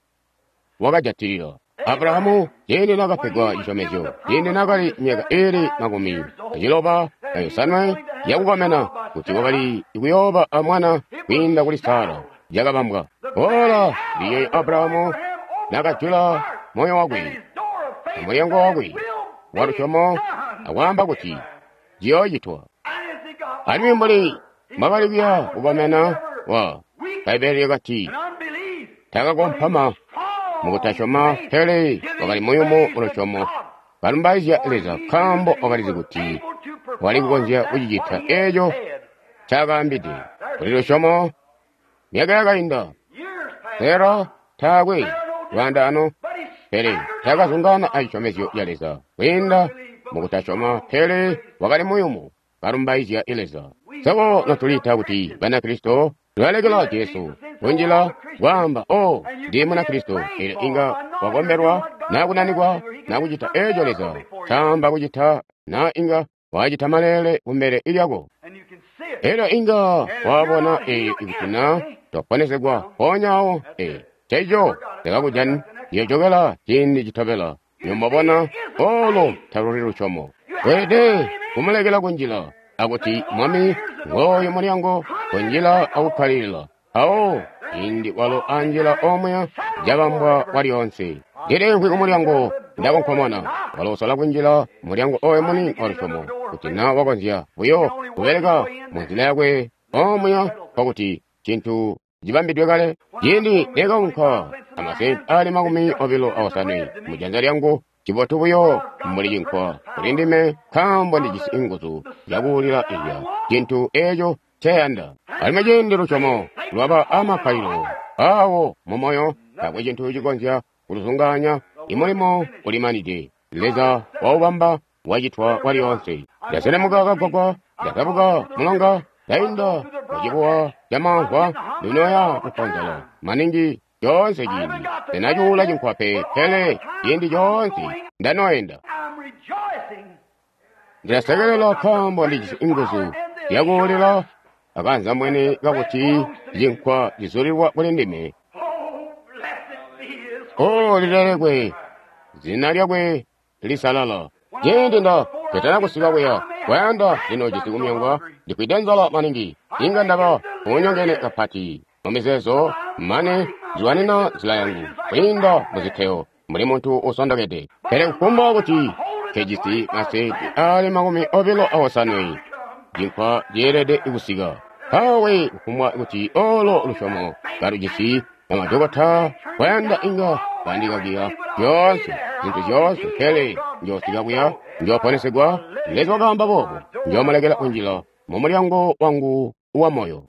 wakajatilila. Abrahamu ciindi naakapegwa cisyomezyo, ciindi naakali myaka iili makumi aciloba ayosanwe yakukomena, kuti wakali kuyooba amwana kwiinda kuli Sara, cakabambwa. Ola liyoyo Abrahamu naakajula moyo wakwe amulyango wakwe wa lusyomo akwaamba kuti ciyoocitwa. Alimwi mbuli mbwakali kuya kukomena, wa Bbaibbele lyakati takakompama mukutasyoma, pele wakali muyumu mulusyomo, kalumbaizya Leza, nkaambo wakalizi kuti wali kukonzya kucicita eeco ncaakaambide. Kuli lusyomo, myaka yakainda, Sara taakwe lwaandaano, pele taakazungaana acisyomezyo ca Leza kwiinda mukutasyoma, pele wakali muyumu kalumbaizya Leza. Swebo notuliita kuti Banakristo tulalekela Jesu kunjila kwaamba, "Oh, ndi Munakristo," pele inga wakombelwa naa kunanikwa naa kucita eeco Leza ncaamba kucita, naa inga wacita maleele kumbele lyako. Elyo inga wabona eeyo ikuti naa twaponesegwa mpoonya awo. Ee, nceeco ndakakujani ndiyojokela ciindi citobela. Nimbabona olo taluli lusyomo. Weelede kumulekela kunjila akuti, "Mwami, ngooyu mulyango, kunjila akukkalilila." Awo ciindi walo anjila omuya, cabambwa kwalyoonse. Ndiliimvwi kumulyango ndakonkomona. Walo usola kunjila mulyango oyo muni wa lusyomo, kuti naa wakonzya buyo kubeleka munzila yakwe omuya, nkokuti cintu cibambidwe kale. Ciindi nekaunka amasenti ali makumi obilo aosanwe mujanza lyangu, cibotu buyo mbuli cinkwa kuli ndime, nkaambo ndijisi nguzu zyakuulila ilya cintu eeco nceyanda. Alimwi ciindi lusyomo lwaba amakkalilo awo mumoyo, taakwe cintu cikonzya kuluzungaanya. Imulimo ulimanide, Leza waubamba, wacitwa kwalyoonse. Ndaselemuka kagwagwa, ndazabuka mulonga, ndainda mucibuwa camamvwa, ndinoya kuponzela maningi coonse ciindi. Sinacuula cinkwa pe, pele ciindi coonse ndanoenda. Ndilasekelela nkaambo ndijisi nguzu zyakuulila akanzambwene kakuti cinkwa cizulilwa kuli ndime. O, lilelekwe zina lyakwe lisalala. Ciindi nda ketana kusika kuya kwayanda lino jisi kumyongwa, ndifwide nzala maningi, inga ndaba unyongene kapati mumizeezo mane nzilwanina nzila yangu kwiinda muziteo mbuli muntu usondokede. Pele kufumbwa kuti nkejisi masenti ali makumi obilo aosanwe, cinkwa ceelede kusika. Mpawe kufumbwa kuti olo lusyomo kalujisi bamadokota kwayanda inga bandikakiya zyoonse zintu zyoonse, pele njoosika kuya, njooponesegwa. Leza wakaamba boobo, njoomulekela kunjila mumulyango wangu wa moyo.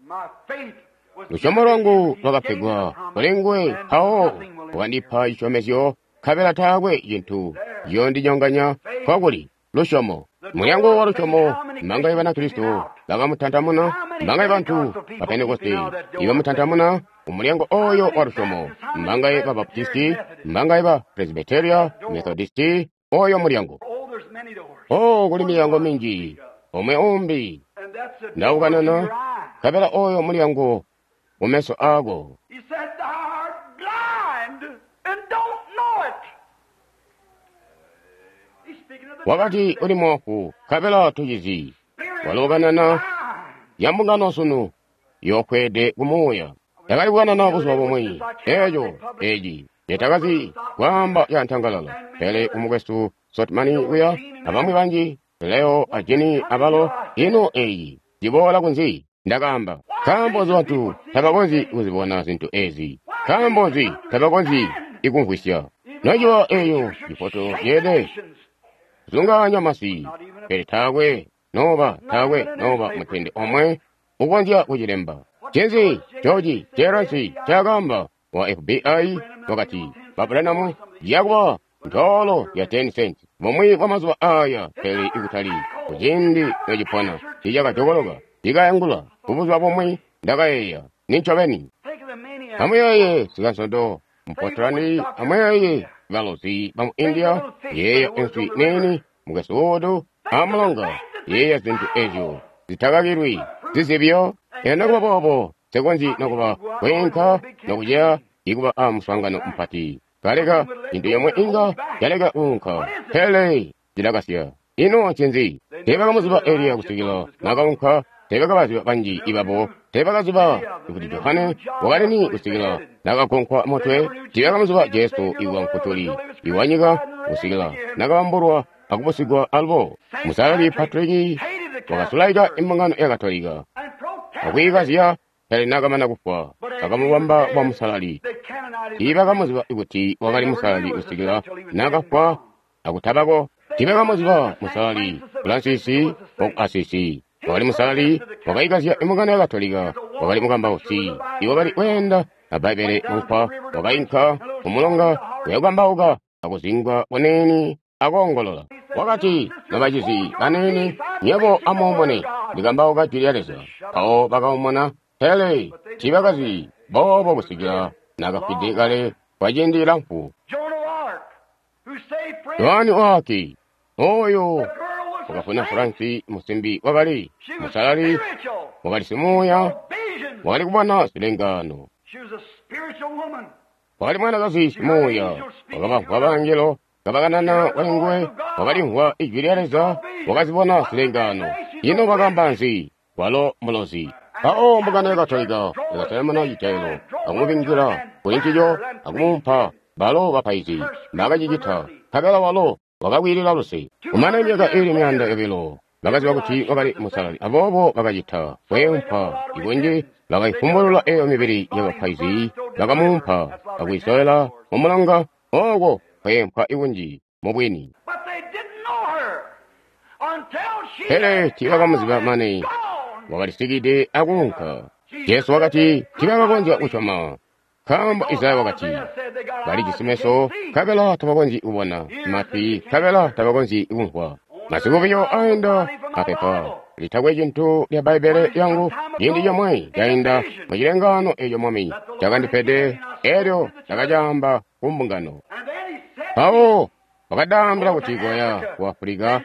Lusyomo lwangu lwakapegwa kuli nguwe, mpawo wandipa cisyomezyo, nkabela taakwe cintu ciyoondinyonganya. Nkokuli lusyomo, mulyango wa lusyomo. Mbangaye Banakristo bakamutantamuna, mbangaye bantu ba Pentekoste ibamutantamuna umulyango oyo wa lusyomo, mbangaye ba Baptisti, mbangaye ba Presbyteria, Methodisti, oyo mulyango. Oh, kuli milyango minji, omwe umbi ndaukanana, nkabela oyo mulyango mumeso ako. Wakati uli moofu, nkabela tucizi. Walo ukanana ya mbungano sunu yoofweede kumuuya. Ndakali kukanana buzuba bumwi eeco eci netakazi kwaamba cantangalala, pele kumukwesu Sotmani kuya abamwi banji, Leo a Jini abalo, ino eyi ciboola kunzi? Ndakaamba, nkaambo nzi bantu tabakonzyi kuzibona zintu ezi? Nkaambo nzi tabakonzyi ikumvwisya? Nociba eyo cifoto ceelede zungaanya masi, pele taakwe noba taakwe noba mutende omwe ukonzya kucilemba. Ncinzi George Jeransi ncaakaamba wa F B I? Wakati, "Ba Branham, yakuba ntoolo ya ten cents bumwi bwa mazuba aya, pele ikutali kuciindi nocipona." Ticakajokoloka, tikayangula. Kubuzuba bumwi ndakayeeya, nincobeni. Amuyeeye sikansondo Mpotlandi, amuyeeye balozi bamu India, yeeya enswi nini mukwesu amulonga, yeeya zintu ezyo zitakakilwi zizibyo. Eno nokuba boobo nsekonzyi nokuba kwiinka nokuceya ikuba a muswaangano mupati. Kaleka cintu yomwe inga yaleka kuunka, pele cilakasya. Ino ncinzi? Teebakamuziba Eliya kusikila nakaunka. Teebakabaziba banji ibabo. Teebakaziba kuti Johane wakalini kusikila nakagonkwa mutwe. Teebakamuziba Jesu iwa Mfutuli iwanyika kusikila nakabambulwa akubusigwa alubo. Musalali Patrick wakasulaika imbungano ya Katolika akwiikazya, pele nakamana kufwa bakamubamba kuba musalali. Tiibakamuziba kuti wakali musalali kusikila nakafwa akutabako. Tiibakamuziba musalali Francis waku Asisi wakali musalali, wakaikazya imbungano ya Katolika, wakali mukambausi iwakali kweenda a Bbaibbele mukwa, wakainka kumulonga kuyakukambauka akuzingwa kuniini akoongolola. Wakati, "Nobacizi baniini, nywebo amuumune, ndikambauka jwi lya Leza." Mpawo bakaumuna, pele tiibakazi boobo kusikila naakafwide kale kwa ciindi cilamfu. Yohane waki oyo wakafuna Fransi musimbi wakali musalali, wakali simuuya, wakali kubona zilengano, wakali mwanakazi simuuya, wakabamvwa bangelo kabakanana kuli nguwe, wakalimvwa ijwi lya Leza, wakazibona zilengano. Ino bakamba nzi? Walo mulozi. Mpawo mbungano ya Katolika yakasalamana citaelo akumubingila kuli ncico akumumpa balo bapaizi mbakacicita, nkabela walo wakakwiilila luse. Kumane myaka iili myaanda yobilo bakaziba kuti wakali musalali, aboobo bakacita kweempa ikunji, bakaifumbulula eyo mibili yabapaizi, bakamumpa akwiisowela mumulonga oko kweempa ikunji mubwini. Pele tiibakamuziba mane wakalisikide akuunka. Jesu wakati tiibakakonzya kusyoma, nkaambo Isaya wakati balijisi meso nkabela tabakonzyi kubona, matwi nkabela tabakonzyi kumvwa. Masiku buyo aenda apepa litakwe cintu lya Bbaibbele lyangu ciindi comwe cainda mucilengaano eco Mwami cakandipede, elyo ndakacaamba ku mbungano. Mpawo wakandaambila kuti koya ku Afulika,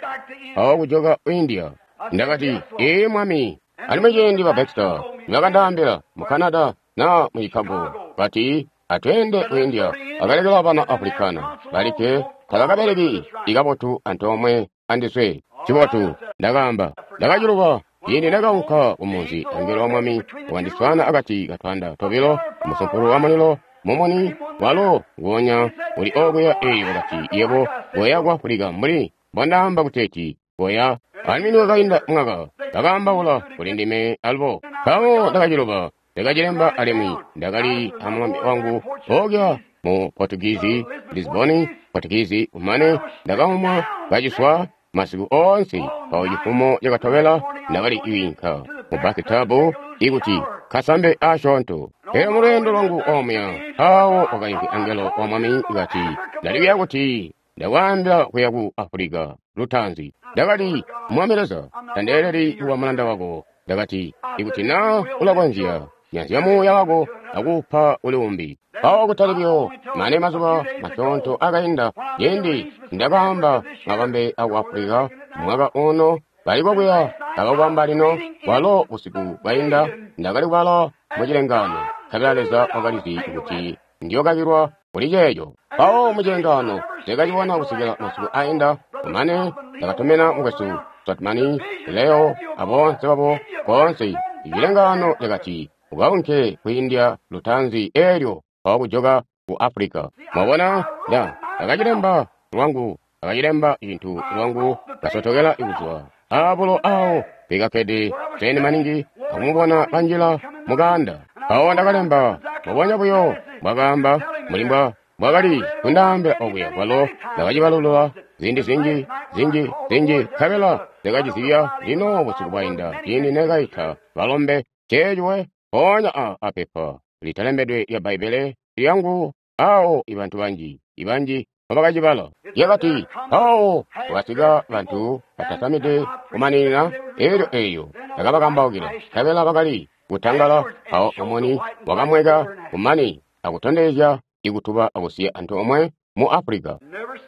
mpawo kujoka ku India. Ndakati, "Ee Mwami." Alimwi ciindi ba Baxter nibakandaambila mu Canada na mu Chicago, bati atweende ku India, akalekela bana Africana balikke tabakabeleki ikabotu antoomwe andiswe. Cibotu, ndakaamba. Ndakaciluba ciindi ndakaunka kumunzi, angelo wa Mwami wakandiswaana akati katwanda tobilo, musumpulu wa mulilo mumuni walo nguonya uli okuya. Eeyo wakati, "Yebo koya ku Afulika mbuli mbondaamba kuteeti koya." Alimwi niwakainda mwaka bakaambaula kuli ndime alubo. Mpawo ndakaciluba, ndakacilemba alimwi ndakali amulombe wangu okuya mu Portuguese, Lisbon, Portuguese. Kumane ndakaumwa kaciswa masiku oonse. Mpawo cifumo cakatobela ndakali kwiinka mu bathtub ikuti kasambe asyoonto. Pele mulweendo lwangu omuya, mpawo wakaimvwi angelo wa Mwami kati, "Ndalikuya kuti ndakwaambila kuya ku Afulika lutaanzi." Ndakati, "Mwami Leza, tandeeleli kuba mulanda wako." Ndakati, "Ikuti naa ulakonzya, nyanzya muuya wako akuupa uli umbi." Mpawo kutali buyo mane mazuba masyoonto akainda, ciindi ndakaamba mabambe aku Afulika mwaka uno bali kokuya akakubamba lino, walo busiku bwainda ndakali kubala mucilengaano, nkabela Leza wakalizi kuti ndiyokakilwa kuli ceeco. Mpawo mucilengaano ndakacibona kusikila masiku ainda. Kumane ndakatumina mukwesu Stratmani, Leo aboonse babo koonse. Icilengaano cakati, "Ukaunke ku India lutaanzi eelyo mpawo kujoka ku Afulika." Mwabona, nda ndakacilemba lwangu, ndakacilemba cintu lwangu, kasotokela kuzwa abulo awo bikakkede seni maningi akumubona kanjila mukaanda. Mpawo ndakalemba mbubonya buyo mbwakaamba mbuli mbwakali kundaambila okuya kwalo ndakacibalulula ziindi zinji zinji zinji, nkabela ndakacizibya lino busiku bwainda ciindi nekaita balombe ceeciwe mpoonya a apepa litalembedwe lya Bbaibbele lyangu awo ibantu banji ibanji mbabakacibala. Lyakati, mpawo kwakasika bantu batasamide kumaninina, elyo eyo ndakabakambaukila, nkabela bakali kutangala. Mpawo mumuni wakamweka kumane akutondezya ikutuba akusiya antoomwe mu Afulika.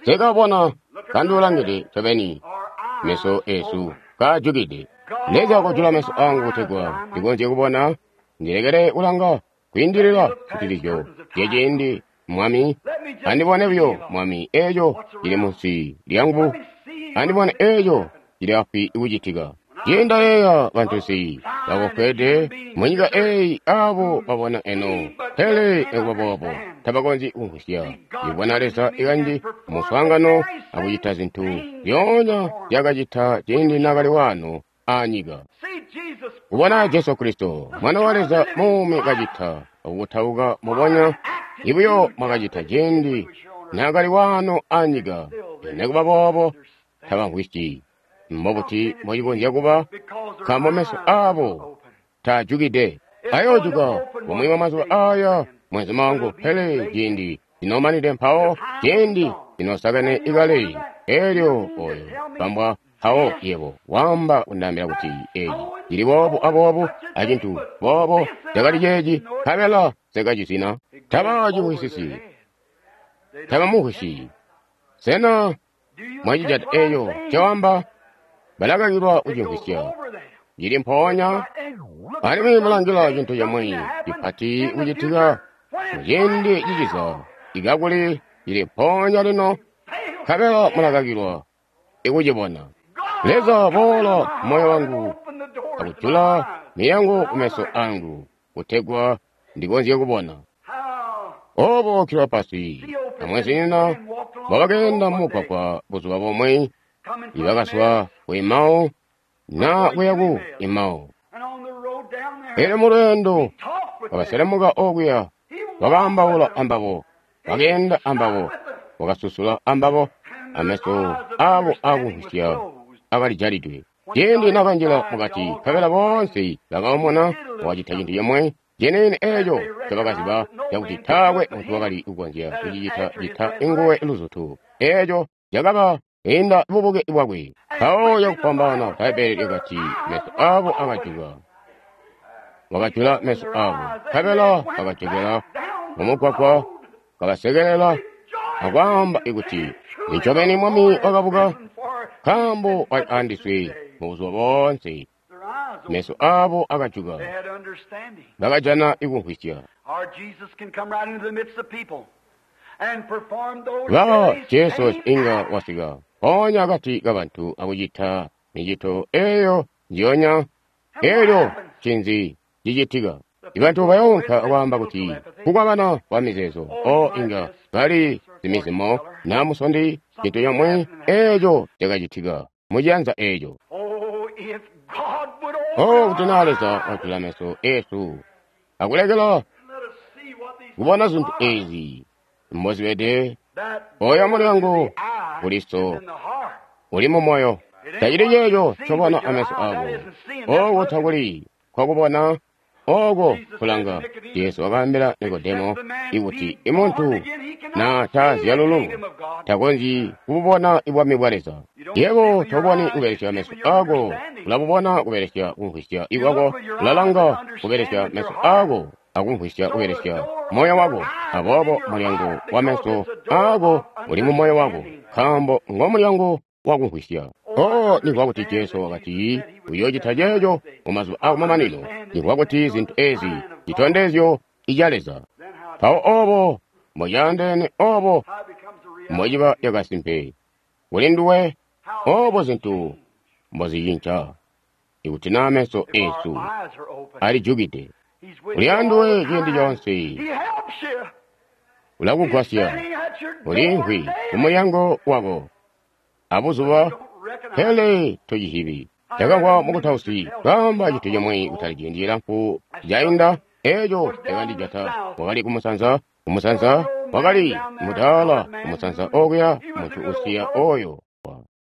Nsekabona kanduulangide ncobeni, meso esu kaajukide. Leza kojula meso angu kutegwa ndikonzye kubona, ndilekele kulanga kwiindilila kutilizyo zyaciindi. Mwami, andibone buyo, Mwami, eeco cili munsi lyangu, andibone eeco cili afwi kucitika. Ciindayeeya bantusi bakofwede munyika eeyi abo babona eno, pele nikuba boobo tabakonzyi kumvwisya. Ibona Leza ikanji muswaangano akucita zintu zyoonya zyakacita ciindi naakali waano aanyika. Kubona Jesu Kristo, Mwana wa Leza muumi kacita akukutauka mubonya ibuyo mwakacita ciindi naakali waano aanyika, nikuba boobo tabamvwisyi. Mbobuti mbocikonzya kuba? Nkaambo meso aabo taajukide. Ayoojuka bumwi bwa mazuba aaya, mwenzuma wangu, pele ciindi cinomanide mpawo, ciindi cinosakene ikale. Elyo oyo bambwa mpawo yebo wamba kundaambila kuti eci cili boobu aboobu acintu boobo cakali ceeci, nkabela sekacizina. Taba cimvwisisi, tabamumvwisyi. Sena mwacijata eeyo cawamba? Balakakilwa kucimvwisya. Cili mpoonya alimwi mulangila cintu cimwi cipati kucitika muciindi ciciza, ikakuli cili mpoonya lino, nkabela mulakakilwa ikucibona. Leza boola moyo wangu akujula miyango kumeso angu kutegwa ndikonzye kubona. Obo Kilopasi amwezinyina bwakakeenda mumugwagwa buzuba bumwe, ibakazwa ku Emau na kuya ku Emau. Elyo mulweendo wakaselemuka okuya, wakaambaula ambabo, wakeenda ambabo, wakasusula ambabo, ameso abo akumvwisya akalijalidwe. Ciindi nakanjila mukati, nkabela boonse bakaumuna, wakacita cintu cimwe ciniini eeco ncobakaziba cakuti taakwe muntu wakali kukonzya kucicita cita inguwe luzutu. Eeco cakaba inda bubuke bwakwe. Mpawo cakufwambaana Bbaibbele lyakati meso aabo akajuka. Wakajula meso aabo, nkabela bakajokela mumugwagwa, kabasekelela akwaamba ikuti nincobeni Mwami wakabuka, nkaambo wali andiswe mubuzuba boonse. Meso aabo akajuka, bakajana ikumvwisya. Ba Jesu inga wasika mpoonya akati kabantu akucita micito eeyo njiyonya. Elyo ncinzi cicitika? Ibantu bayoonka akwaamba kuti kukwabana kwa mizeezo o inga bali zimizimo na musondi, cintu comwe eeco cakacitika muciyanza eeco. O kuti naa Leza wajula meso eesu akulekela kubona zintu eezi mbozibede, oyo mulyango kuliso uli mumoyo. Tacili ceeco ncobona ameso ako, oko takuli kwakubona, oko kulanga. Jesu wakaambila Nikodemo ikuti imuntu na tazyalululwa takonzyi kububona ibwami bwa Leza. Yebo toboni kubelesya meso ako, ulabubona kubelesya kumvwisya ikwako, ulalanga kubelesya meso ako akumvwisya kubelesya moyo wako. Aboobo mulyango wa meso ako uli mu moyo wako, nkaambo ngo mulyango wakumvwisya. Oh, nimvwa kuti Jesu wakati uyoocita ceeco mumazuba akumamanino. Nimvwa kuti zintu ezi citondezyo ica Leza. Mpawo obo mbocaandeene, obo mbociba yakasimpe kuli nduwe, obo zintu mbozicinca ikuti naa meso eesu alijukide. Uli anduwe ciindi coonse, ulakugwasya, uliimvwi kumulyango wako abuzuba, pele tocizibi. Ndakamvwa mukutausi kaamba cintu cimwe kutali ciindi cilamfu cainda, eeco cakandijata. Wakali kumusanza, kumusanza wakali mudaala, kumusanza okuya muntu usiya oyo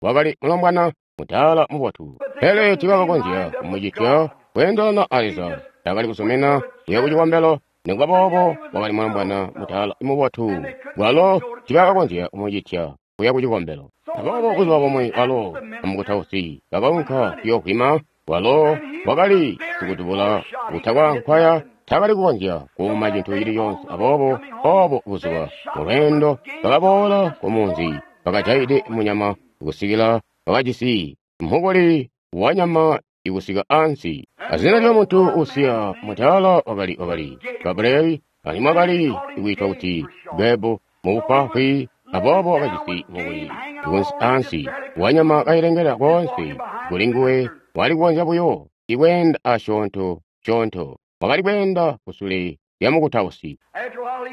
wakali mulombwana mudaala mubotu, pele tiibakakonzya kumucitya kweendelana a Leza. Takali kusomena kuya kucikombelo, nikuba boobo wakali mulombwana mudaala mubotu, walo tiibakakonzya kumucitya kuya kucikombelo. Aboobo buzuba bumwe walo amukutausi bakaunka kuyoovwima. Walo wakali sikudubula kutakwa nkwaya, takali kukonzya kuuma cintu cili coonse. Aboobo obo buzuba mulweendo bakaboola kumunzi, bakajayide munyama kusikila bakajisi mukuli wanyama ikusika ansi. Azina lya muntu usiya mudaala wakali wakali Gabrieli, alimwi wakali kwiitwa kuti Gebu mubufwaafwi. Aboobo wakajisi mukuli kunsi ansi wanyama kailengela koonse kuli nguwe. Wali kukonzya buyo ikweenda asyoonto syoonto, wakali kweenda kusule lya mukutausi.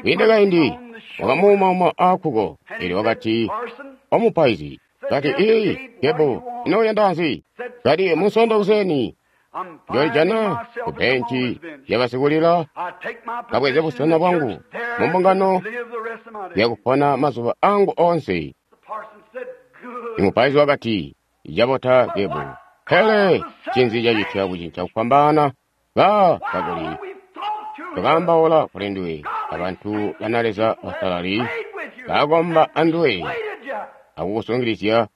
Kwiinde kaindi wakamuumauma aakkuko, elyo wakati, omupaizi, kati, ii Gebu, ino uyanda nzi? Kati, Munsondo kuseni njolijana ku benci yabasikulila, kabweze busena bwangu mumbungano yakupona mazuba angu onse. Imupaizi wakati, Cabota Gebu. Pele ncinzi cacitya kucinca kufwambaana? Ba kakuli twakaambaula kuli nduwe abantu bana Leza basalali bakomba anduwe akukusungilizya,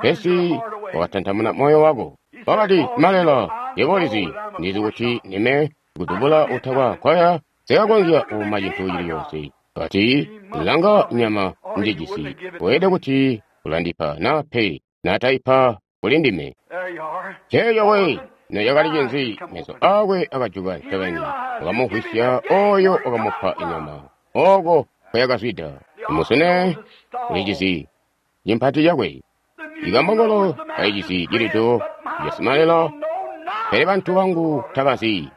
pesi wakatantamuna moyo wako. Wakati, Malela, yebo ulizi, ndizi kuti ndime kudubula utakwa nkoya sikakonzya kuuma cintu cili coonse. Kati, langa nyama njejisi, weelede kuti ulandipa na pe nataipa kuli ndime. Ceeco we nocakali cinzi, meso akwe akajuka ncobeni, wakamumvwisya oyo wakamupa inyama oko kweyakazwida. Musune ulijisi cimpati cakwe, ikambongolo kalijisi cilido casimalela, pele bantu bangu tabazi,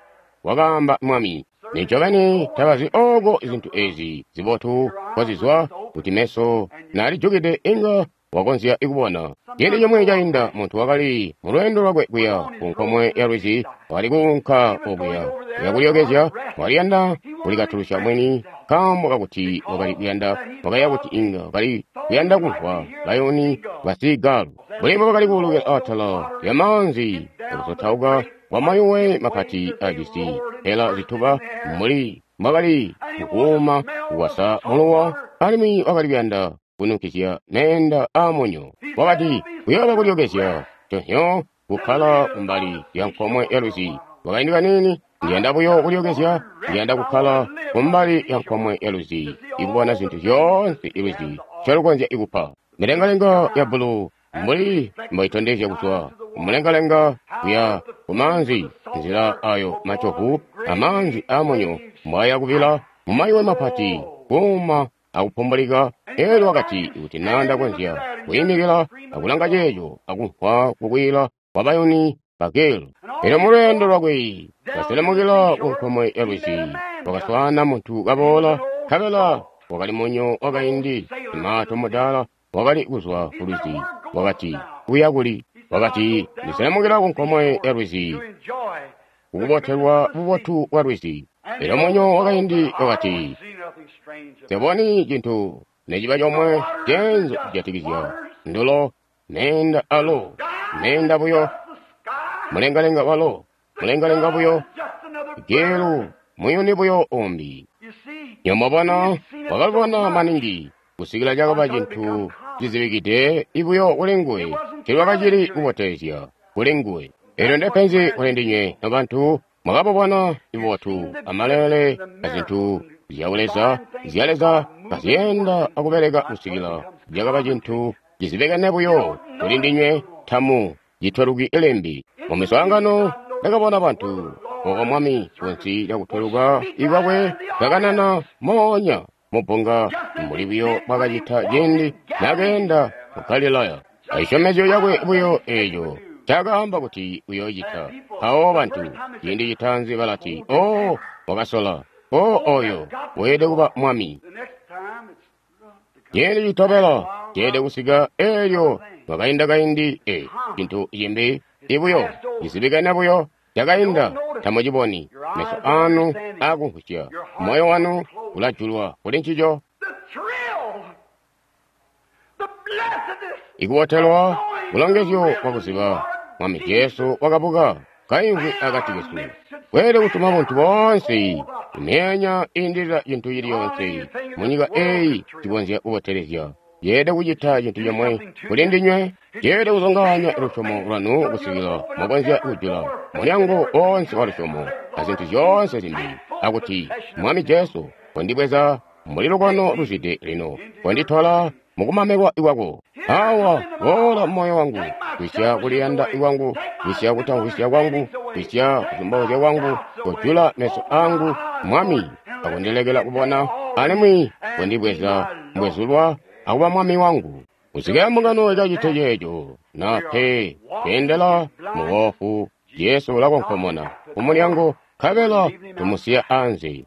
wakaamba Mwami. Nincobeni tabazi oko zintu ezi zibotu kozizwa, kuti meso nalijukide inga wakonzya kubona. Ciindi comwe cainda muntu wakali mulweendo lwakwe kuya ku nkomwe ya lwizi, wakali kuunka okuya kuya kulyokezya, waliyanda kulikatulusya mwini nkaambo kakuti wakali kuyanda, wakaya kuti inga wakali kuyanda kumvwa bayuni basigalu mbuli mbobakali kuulukila atala lya maanzi akusotauka kwa mayuwe mapati ajisi mpela zituba mbuli mbwakali kukuuma kukwasa muluwa, alimwi wakali kuyanda kununkizya meenda aamunyo. Wakati kuyooba kulyokezya tonyo kukkala kumbali lya nkomwe ya lwizi. Wakaindi kaniini, ndiyanda buyo kulyokezya, ndiyanda kukkala kumbali ya nkomwe ya lwizi, ikubona zintu zyoonse ilwizi ncyolukonzya ikupa. Milengalenga ya bbulu mbuli mboitondezya kuzwa kumulengalenga kuya kumaanzi, nzila ayo macovu amaanzi aamunyo mbwaya kubila mumayuwe mapati kuuma akupumbulika. Elyo wakati, kuti naa ndakonzya kuyimikila akulanga ceeco akumvwa kukwila kwa bayuni bagelu. Elyo mulweendo lwakwe kaselemukila ku nkomwe ya lwizi, wakaswaana muntu kaboola, nkabela wakali munyo wakaindi, simaato mudaala wakali kuzwa ku lwizi. Wakati, uya kuli? Wakati, ndiselemukila ku nkomwe ya lwizi kukubotelwa bubotu bwa lwizi. Elyo munyo wakaindi wakati, Nseboni cintu neciba comwe ceenzu kujatikizya ndulo, meenda alo, meenda buyo, mulengalenga walo, mulengalenga buyo, gelu muyuni buyo umbi. Nyomobona wakalubona maningi kusikila cakaba cintu cizibikide ibuyo kuli nguwe, cilwakacili kubotezya kuli nguwe. Elyo ndepenzi kuli ndinywe nobantu, mwakabubona ibubotu amalele azintu zya Leza, zya Leza kazyenda akubeleka kusikila cakaba cintu cizibikene buyo kuli ndinywe, tamu citweluki limbi. Mu miswaangano ndakabona bantu oko Mwami kunsi lya kutweluka ikwakwe kakanana moonya mubbunga mbuli buyo bwakacita ciindi nakeenda mu Galilaya. Acisyomezyo cakwe buyo eeco cakaamba kuti uyoocita. Mpawo bantu ciindi citaanzi balati, "Oh, wakasola. Oh, oyo weelede kuba Mwami." Ciindi citobela ceelede kusika eelyo mwakainda kaindi e cintu cimbi ibuyo cizibikene buyo cakainda tamuciboni. Meso anu akumvwisya, moyo wanu ulajulwa kuli ncico. Ikubotelwa bulongezyo bwakuziba Mwami Jesu wakabuka kaimvwi akati kesu. Kweelede kutuma buntu boonse imyeenya iindilila cintu cili coonse munyika eeyi cikonzya kubotelezya. Yeelede kucita cintu comwe kuli ndinywe, yeelede kuzungaanya lusyomo lwanu kusikila mwakonzya kujula mulyango woonse wa lusyomo azintu zyoonse zimbi, akuti Mwami Jesu, kondibweza mbuli lukono luzwide lino, konditola mukumamikwa kwako. Awa boola mumoyo wangu, kwisya kuliyanda kwangu, kwisya kutamvwisya kwangu, kwisya kuzumbauzya kwangu, kojula meso angu, Mwami, akundilekela kubona, alimwi kondibweza mbwezulwa akuba Mwami wangu. Kusikila mbungano ikacite ceeco, na pe kweendela muwofu, Jesu ulakonkomona kumulyango, nkabela tumusiya anze.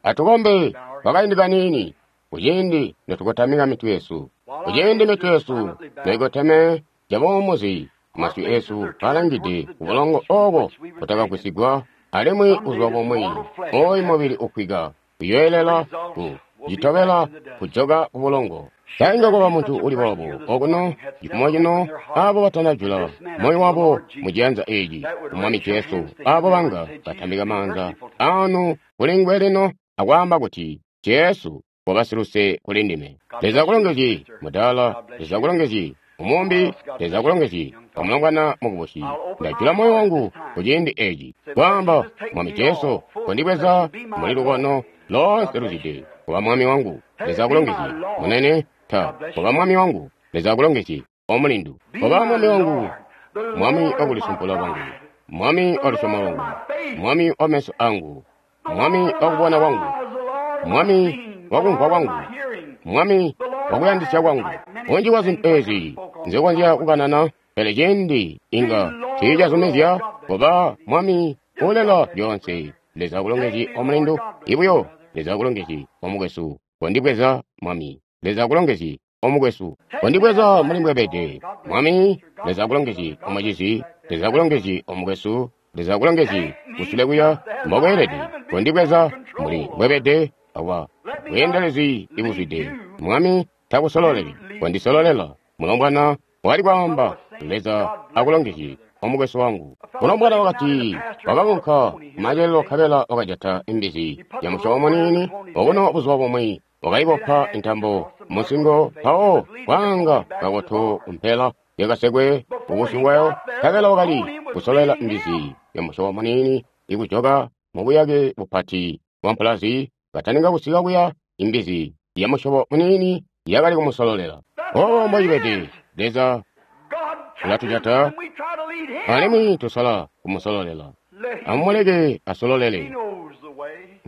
Atukombe kwakaindi kaniini, kuciindi notukotamika mitwe yesu, kuciindi mitwe yesu noikoteme cabuumuzi, masyu esu alangide kubulongo obo butakagwisigwa, alimwi buzuba bumwi oyu mubili ufwika uyoelela ku citobela kujoka kubulongo. Sa inga kwaba muntu uli boobo okuno cifumo cino, abo batanajula moyo wabo mu ciyanza eci ku Mwami Jesu, abo banga batambika maanza anu kuli nguwe lino akwaamba kuti, Jesu, koba siluse kuli ndime. Leza akulongezye, mudaala. Leza akulongezye, omumbi. Leza akulongezye, omulongwana mukubusi. Ndajula moyo wangu ku ciindi eci, kwaamba, Mwami Jesu, kondibweza muli lukono loonse luzwide, kuba Mwami wangu. Leza akulongezye, munene. Ta kuba Mwami wangu. Leza akulongezye, omulindu. Kuba Mwami wangu, Mwami wakulisumpula kwangu, Mwami wa lusyomo lwangu, Mwami wa meso angu, Mwami wa kubona kwangu, Mwami wa kumvwa kwangu, Mwami wa kuyandisya kwangu. Bunji bwa zintu ezi nzikonzya kukanana, pele ciindi inga tiicazumizya. Kuba Mwami ulela lyoonse. Leza akulongezye, omulindu. Ibuyo, Leza akulongezye, omukwesu. Kondibweza, Mwami. Leza akulongezye, omukwesu. Kondibweza muli mbwebede, Mwami. Leza akulongezye, omucizi. Leza akulongezye, omukwesu. Leza akulongezye, kusule kuya mbokweelede. Kondibweza muli mbwebede, awa bweendelezi ibuzwide. Mwami takusololeli, kondisololela. Mulombwana wakali kwaamba, Leza akulongezye, omukwesu wangu. Mulombwana wakati wakaunka kumacelelo nkabela wakajata imbizi ya musyobo muniini okuno buzuba bumwi, wakaibopa intambo musingo, mpawo kwaanga kakoto kumpela yakasekwe kubusyu bwayo, nkabela wakali kusolela imbizi ya musyobo muniini ikujoka mubuyake bupati bwa mpulazi. Kataninga kusika kuya, imbizi ya musyobo muniini yakali kumusololela. Obo mbocibede, Leza ulatujata alimwi tusola kumusololela. Amumuleke asololele.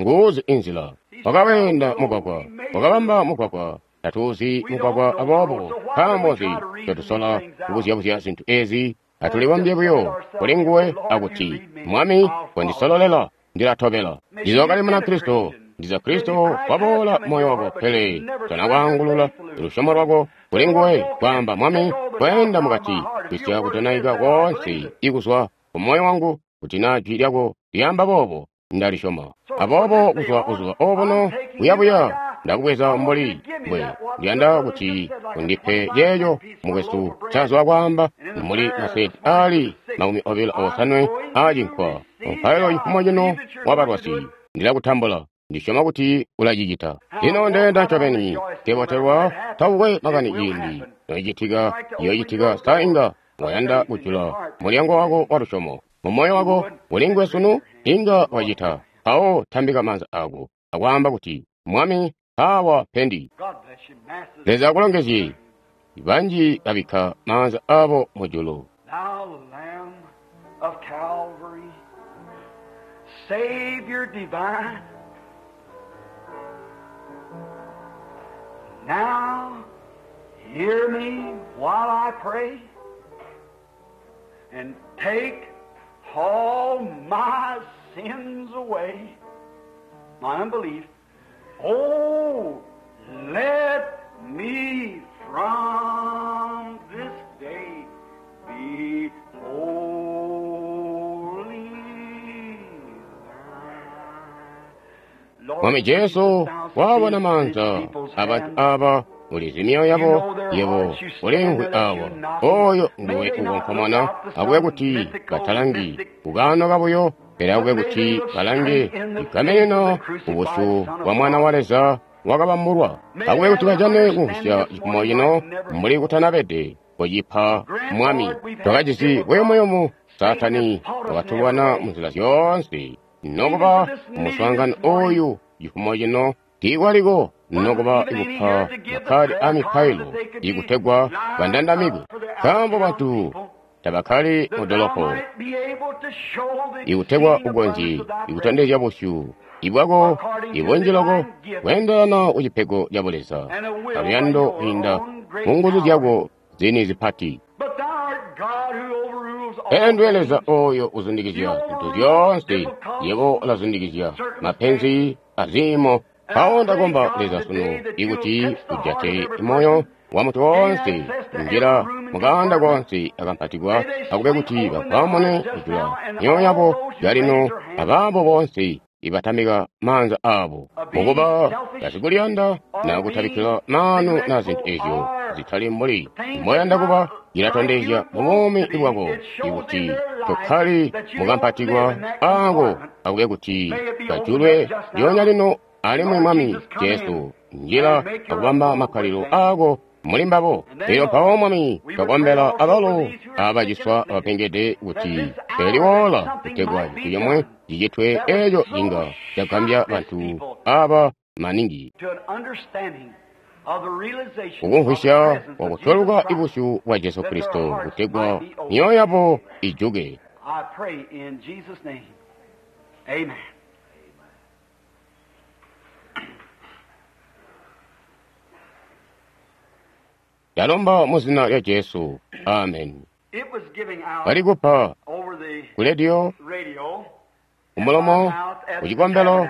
Nguuzi inzila. Wakaweenda mugwagwa, wakabamba mugwagwa. Tatuuzi mugwagwa, aboobo nkaambo nzi ncotusola kubuzyabuzya zintu ezi? Atulibombye buyo kuli nguwe akuti, Mwami, kondisololela, ndilatobela. Ndiza wakali Munakristo, ndiza Kristo waboola moyo wako, pele tona kwaangulula lusyomo lwako kuli nguwe, kwaamba, Mwami, kweenda mukati, kwisya kudonaika koonse ikuzwa ku moyo wangu, kuti naa jwi lyako lyaamba boobo, ndalisyoma. Aboobo kuzwa buzuba obuno kuyabuya ndakubweza mbuli mbwe ndiyanda kuti undipe ceeco mukwesu ncazwa kwaamba, mbuli masenti ali makumi obilo osanwe aacinkwa. Mupailo cifumo cino wabalwasi, ndilakutambula. Ndisyoma kuti ulacicita. Lino ndeenda ncobeni nkebotelwa, takukwe makani ciindi noicitika, iyocitika. Sa inga wayanda kujula mulyango wako wa lusyomo mu moyo wako kuli nguwe sunu? Inga wacita. Mpawo tambika maanza ako akwaamba kuti, Mwami, awa pendi. Leza akulongezye. Banji babikka maanza abo mujulu. Thou Lamb of Calvary, Savior divine, now hear me while I pray, and take all my sins away, my unbelief. Oh, let me from this day be holy. Mwami Jesu, wabona maanza abantu aba ulizi myoyo yabo, yebo ulimvwi awa. Oyo nguwe ukonkomona, akube kuti batalangi kukano kabuyo, pele akube kuti balange ikameneno ubusyu bwa Mwana wa Leza wakabambulwa. Akube kuti bajane kumvwisya cifumo cino mbuli kutanabede kucipa Mwami. Twakajisi buyumuyumu, Saatani wakatulwana munzila zyoonse, nokuba muswaangano oyu cifumo cino tiikwaliko nokuba ikupa makkadi a mipailo ikutegwa bandandamikwe, nkaambo bantu tabakkali mu dolopo ikutegwa ukonzye ikutondezya busyu ibwako ibunji loko kweendelana ku cipego ca Buleza aluyando kwiinda mu nguzu zyako zini zipati. But thou art God who overrules all Pele ndiwe things. Leza oyo uzundikizya zintu zyoonse, yebo ulazundikizya mapenzi aziimo. Mpawo ndakomba Leza sunu ikuti ujate moyo wa muntu woonse njira mukaanda konse akampatikwa, akube kuti bakwamune kujula myoyo yabo yalino abaabo bonse ibatamika maanza aabo mukuba basikuliyanda na kutabikkila maanu na zintu ezyo zitali mbuli mboyanda kuba cilatondezya mubuumi bwako ikuti tokkali mukampatikwa aako akube kuti kajulwe lyoonya lino alimwi Mwami Jesu njila akubamba makkalilo aako muli mbabo. Elyo mpawo Mwami twakombela abalo abaciswa abapengede kuti eliwoola kutegwa cintu comwe cicitwe eeco inga cagambya bantu aba maningi kukumvwisya kwakutweluka ibusyu bwa Jesu Kristo kutegwa myoyo yabo ijuke. Ndalomba mu zina lya Jesu. Amen. Balikupa ku rediyo, kumulomo, kucikombelo,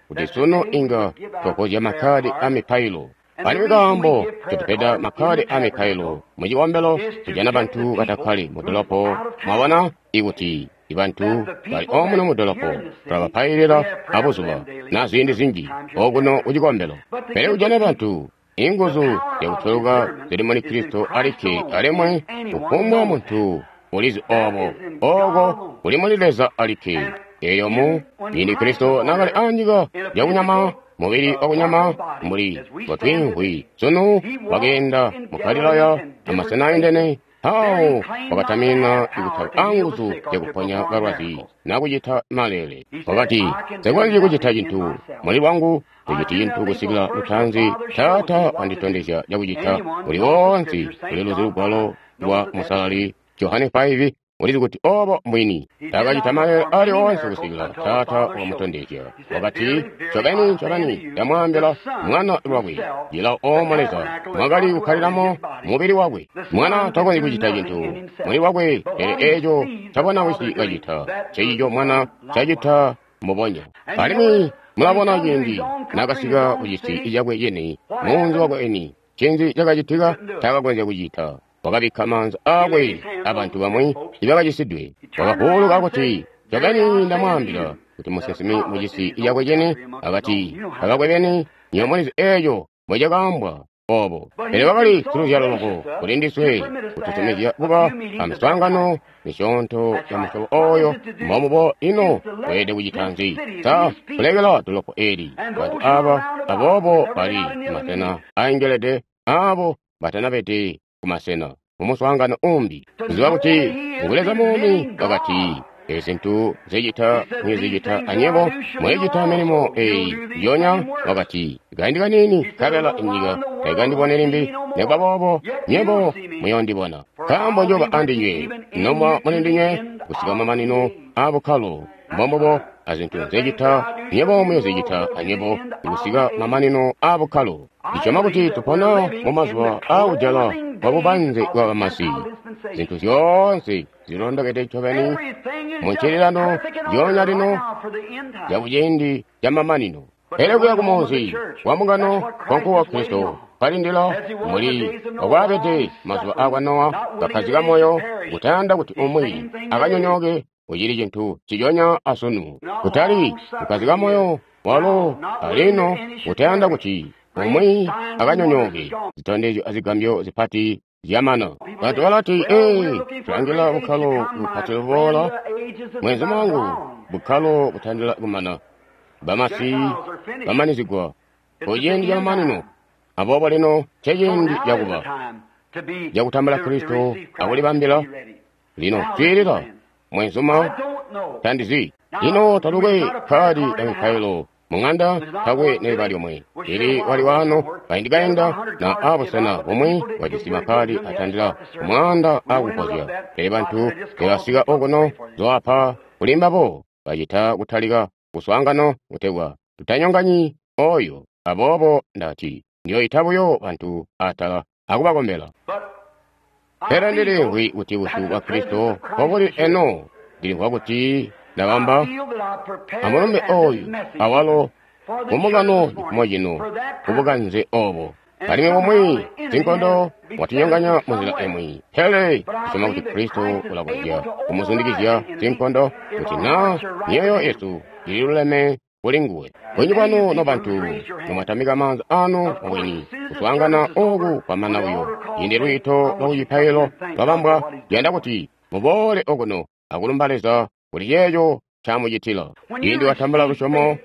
kuti sunu inga twakozya makkadi a mipailo. Alimwi kaambo ncotupeda makkadi a mipailo mu cikombelo kujana bantu batakkali mu dolopo. Mwabona ikuti ibantu bali omuno mu dolopo tulabapailila abuzuba na ziindi zinji okuno ku cikombelo. Pele kujana bantu inguzu zyakutweluka zili muli Kristo alikke, alimwi kufumbwa muntu ulizi obo oko kuli muli Leza alikke. Elyo mu ciindi Kristo naakali anyika yakunyama, mubili wakunyama mbuli mbotwiimvwi sunu, wakeenda mu Galilaya amasena aindene. Mpawo wakatamina ikutaba anguzu zyakuponya balwazi na kucita maleele. Wakati, nsikonzyi kucita cintu muli lwangu, ndiciti cintu kusikila lutanzi Taata wanditondezya cakucita. Uli woonse uliluzi lugwalo lwa Musalali Johane five ulizi kuti obo mbwini. Taakacita maleele ali oonse kusikila Taata wakamutondezya. Wakati, ncobeni ncobeni ndamwaambila, Mwana lwakwe cilawo oomo Leza mwakali kukkalilamo mubili wakwe. Mwana takonzyi kucita cintu muli lwakwe, pele eeco ncabona Wisi kacita, ncecico Mwana cacita mbubonya. Alimwi mulabona ciindi naakasika kucisi cakwe cini, munzi wakwe eni, ncinzi cakacitika? Taakakonzya kucita. Wakabikka maanza aakwe abantu bamwi ibakacisidwe. Wakavuuluka kuti, ncobeni ndamwaambila kuti musinsimi mucisi cakwe cini akati kabakwe beni, nywebo mulizi eeco mbocakaambwa obo. Pele wakali siluzyalo loko kuli ndiswe kututumizya kuba amiswaangano misyoonto ya musyobo oyo. Mbomubo ino weelede kucita nzi? Sa kulekela dolopo eli bantu aba aboobo bali kumasena aengelede, aabo batanabede kumasena mumuswaangano umbi, kuziba kuti ngu Leza muumi. Wakati, ezi zintu nzecita muyozicita anyebo, muyocita milimo eyi njionya. Wakati, kaindi kaniini nkabela inyika taikandiboni limbi, nikuba boobo nywebo muyondibona, nkaambo njoba andinywe nomwa muli ndinywe kusika mamanino aabukkalo. Mbombubo azintu nzecita nywebo muyozicita anywebo kusika mamanino aabukkalo. Ndisyoma kuti tupona mumazuba aakujala kwa bubanze bwa bamasi. Zintu zyoonse zilondokede ncobeni mu ncililano zyoonya lino zyakuciindi camamanino. Pele kuya kumunzi wa mbungano kwa Kristo kalindila mbuli wakwaabede mazuba aakwa Nowa, kakkazika moyo kutayanda kuti umwi akanyonyooke. Ucili cintu ciconya asunu, kutali kukkazika moyo walo alino kutayanda kuti umwi akanyonyooke. Zitondezyo azigambyo zipati zyamana. Bantu balati, ee, tulangila bukkalo bupati buboola. Mwenzi wangu, bukkalo butandila kumana. Bamasi bamanizigwa kuciindi camamanino. Aboobo lino nceciindi cakuba cakutambula Kristo akulibambila. Lino swiilila, mwenzuma, tandizi lino talukwe kkaadi ya mipailo mung'anda, takwe neliba lyomwe ili wali wano kaindi kainda na abusena bumwi wajisi makkadi atandila kumwaanda akupozya. Pele bantu tebasika okuno zoapa kuli mbabo bacita kutalika kuswaangano kutegwa tutanyonganyi oyo. Aboobo ndati ndiyoyita buyo bantu atala akubakombela. Pele ndilimvwi kuti busyu bwa Kristo mbobuli eno. Ndilimvwa kuti ndabamba amulumbe oyu awalo mumbungano cifumo cino kubukanze obo. Alimwi bumwi sinkondo watinyonganya munzila imwi, pele tusyoma kuti Kristo ulakonzya kumuzundikizya sinkondo kuti na myoyo yesu ililuleme kuli nguwe. Bunji bwanu nobantu nomwatamika maanza anu mubwini, kuswaangana oku kwamana buyo. Ciindi lwiito lwa kucipailo lwabambwa, ndiyanda kuti muboole okuno akulumba Leza kuli ceeco ncamucitila. Ciindi watambula lusyomo,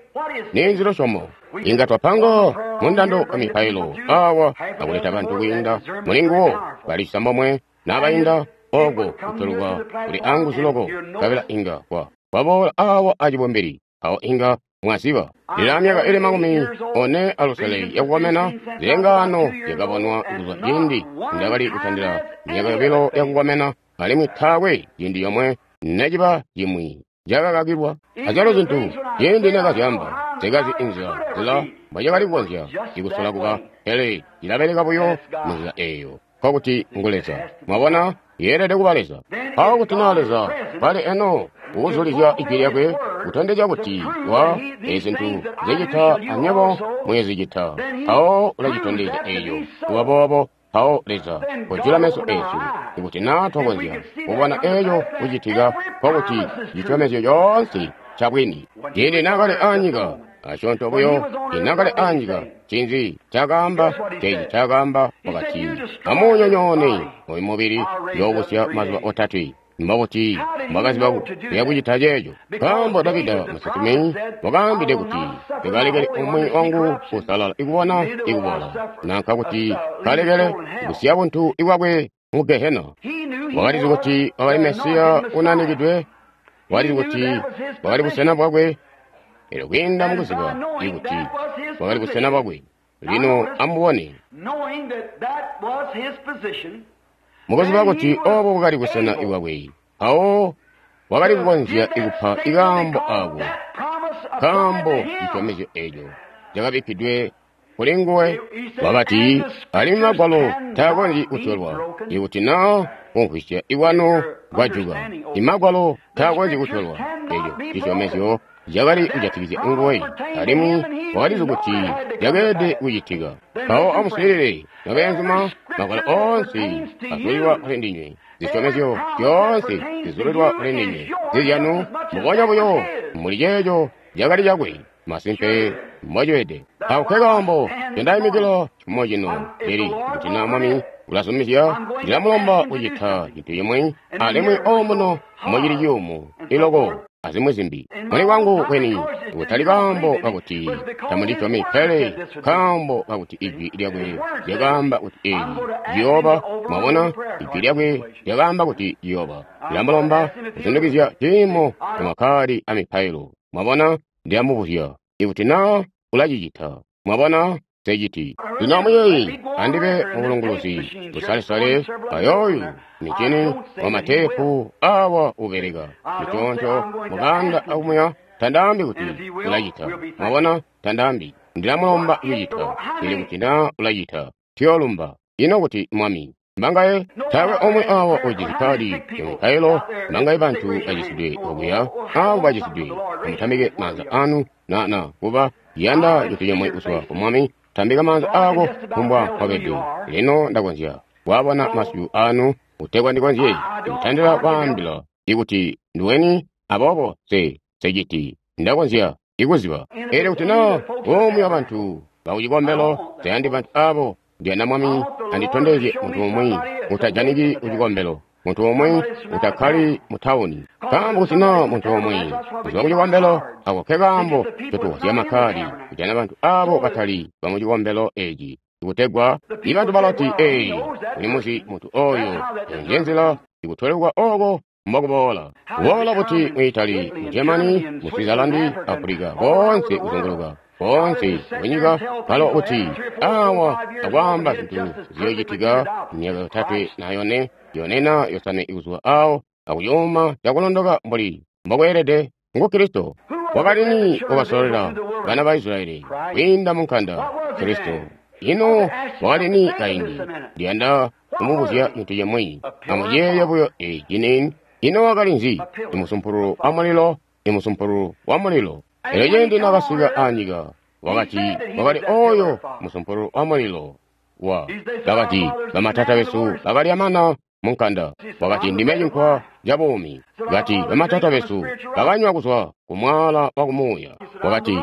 ninzi lusyomo? Inga twapanga mundando wa mipailo awa akuleta bantu kwiinda muli nguwo bali cisambomwe nabainda oko kutolwa kuli anguzu loko, nkabela inga kwa kwaboola awa acibumbili, awo inga mwaziba. Lila myaka ili makumi one alusele yakukomena, zilengaano zyakabonwa kuzwa ciindi ndakali kutandila myaka yobilo yakukomena, alimwi taakwe ciindi yomwe neciba cimwi cakakakilwa. Azyalo zintu ciindi nekazyamba zikazi inzila zila mbwacakali kukonzya ikusola kuba, pele cilabeleka buyo munzila eeyo, nkokuti ngu Leza. Mwabona, yeelede kuba Leza. Mpawo kuti naa Leza pali eno ukuzulizya ijwi lyakwe kutondezya kuti wa ezi zintu zicita anywebo muyozicita, mpawo ulacitondezya eeyo kuba boobo. Mpawo Leza kojula meso eesu, ikuti naa twakonzya kubona eeco kucitika, nkokuti cisyomezyo coonse cabwini. Ciindi naakali anyika asyoonto buyo, inaakali anyika, ncinzi ncaakaamba? Ceeci ncaakaamba, wakati, amuunyonyoone oyu mubili, njoobusya mazuba otatwe. Mbobuti mbwakaziba kuya kucita ceeco? Nkaambo Davida musinsimi wakaambide kuti, nkalekele umwi wangu kusalala ikubona ikubola, nanka kuti kalekele kusiya buntu ibwakwe mu Gehena. Wakalizi kuti wakali Mesiya unanikidwe, wakalizi kuti wakali busena bwakwe. Elyo kwiinda mukuziba ikuti wakali busena bwakwe, lino amubone. Mukuziba kuti obo bwakali busena bwakwe, mpawo wakali kukonzya ikupa ikaambo ako, nkaambo cisyomezyo eeco cakabikkidwe kuli nguwe. Wakati, alimwi Magwalo taakonzyi kutyolwa, ikuti naa kumvwisya ikwanu kwajuka. Imagwalo taakonzyi kutyolwa. Eeco cisyomezyo cakali kujatikizya nguwe, alimwi wakalizi kuti cakeelede kucitika. Mpawo amuswiilile, nobeenzuma, Magwalo oonse azulilwa kuli ndinywe, zisyomezyo zyoonse zizulilwa kuli ndinywe, zizyanu mbubonya buyo muli ceeco cakali cakwe. Masimpe mbocibede. Ako nke kaambo ncendaimikila cifumo cino lili, kuti naa Mwami ulazumizya, ndilamulomba kucita cintu cimwi, alimwi omuno mocili ciyumu iloko azimwi zimbi. Muli kwangu kweni, kutali kaambo kakuti tamundisyomi, pele kaambo kakuti ijwi lyakwe lyakaamba kuti eeci ciyooba. Mwabona, ijwi lyakwe lyakaamba kuti ciyooba. Ndilamulomba kuzundikizya ciimo camakkadi amipailo. Mwabona, ndilamubuzya ikuti naa ulacicita. Mwabona, nseciti. Lino amuyeeye, andibe mubulunguluzi busalesale ayooyu micini wa mateepu awa ubeleka miconco mukanda akumuya. Tandaambi kuti ulacita. Mwabona, tandaambi. Ndilamulomba kucita, pele kuti naa ulacita, tuyoolumba. Ino kuti Mwami mbangaye taakwe omwe awa ujisi kadi ya mipailo, mbangaye bantu bacisidwe okuya, abo bacisidwe, amutamike maanza anu na na kuba yanda cintu cimwe kuzwa ku Mwami. Tambika maanza ako kumbwa kwabede. Lino ndakonzya kwabona masyu anu kutegwa ndikonzye kutandila kwaambila ikuti nduweni, aboobo se seciti ndakonzya ikuziba. Elyo kuti naa umwi wa bantu bakucikombelo tayandi bantu abo, ndiyanda Mwami anditondezye muntu umwi utajaniki kucikombelo, muntu umwi utakkali mu tawuni. Nkaambo kuti naa muntu umwi kuzwa kucikombelo, ako nke kaambo ncotuwazya makkadi kujana bantu abo batali bamucikombelo eeci, ikutegwa ibantu balati, ee, ulimuzi muntu oyo. Eyo nje nzila ikutolekwa oko mbokuboola. Kuboola buti mu Italy, mu Germany, mu Switzerland, Africa, koonse kuzunguluka koonse kunyika, kalo kuti awa akwaamba zintu ziyoocitika myaka yotatwe na yone, yone na yosanwe ikuzwa awo, akuyuma cakulondoka mbuli mbokweelede. Ngu Kristo. Wakali ni wakasololela bana ba Israyeli kwiinda mu nkanda? Kristo. Ino wakali ni kaindi? Ndiyanda kumubuzya cintu cimwi. Amuyeeye buyo eci nini. Ino wakali nzi? Imusumpululu wa mulilo, imusumpululu wa mulilo. Elyo ciindi nakasika anyika, wakati wakali oyo musumpululu wa mulilo. Wa bakati, bamatata besu bakalya mana munkanda. Wakati, Ndime cinkwa ca buumi. Kati, bamatata besu bakanywa kuzwa ku mwaala wa kumuuya. Wakati,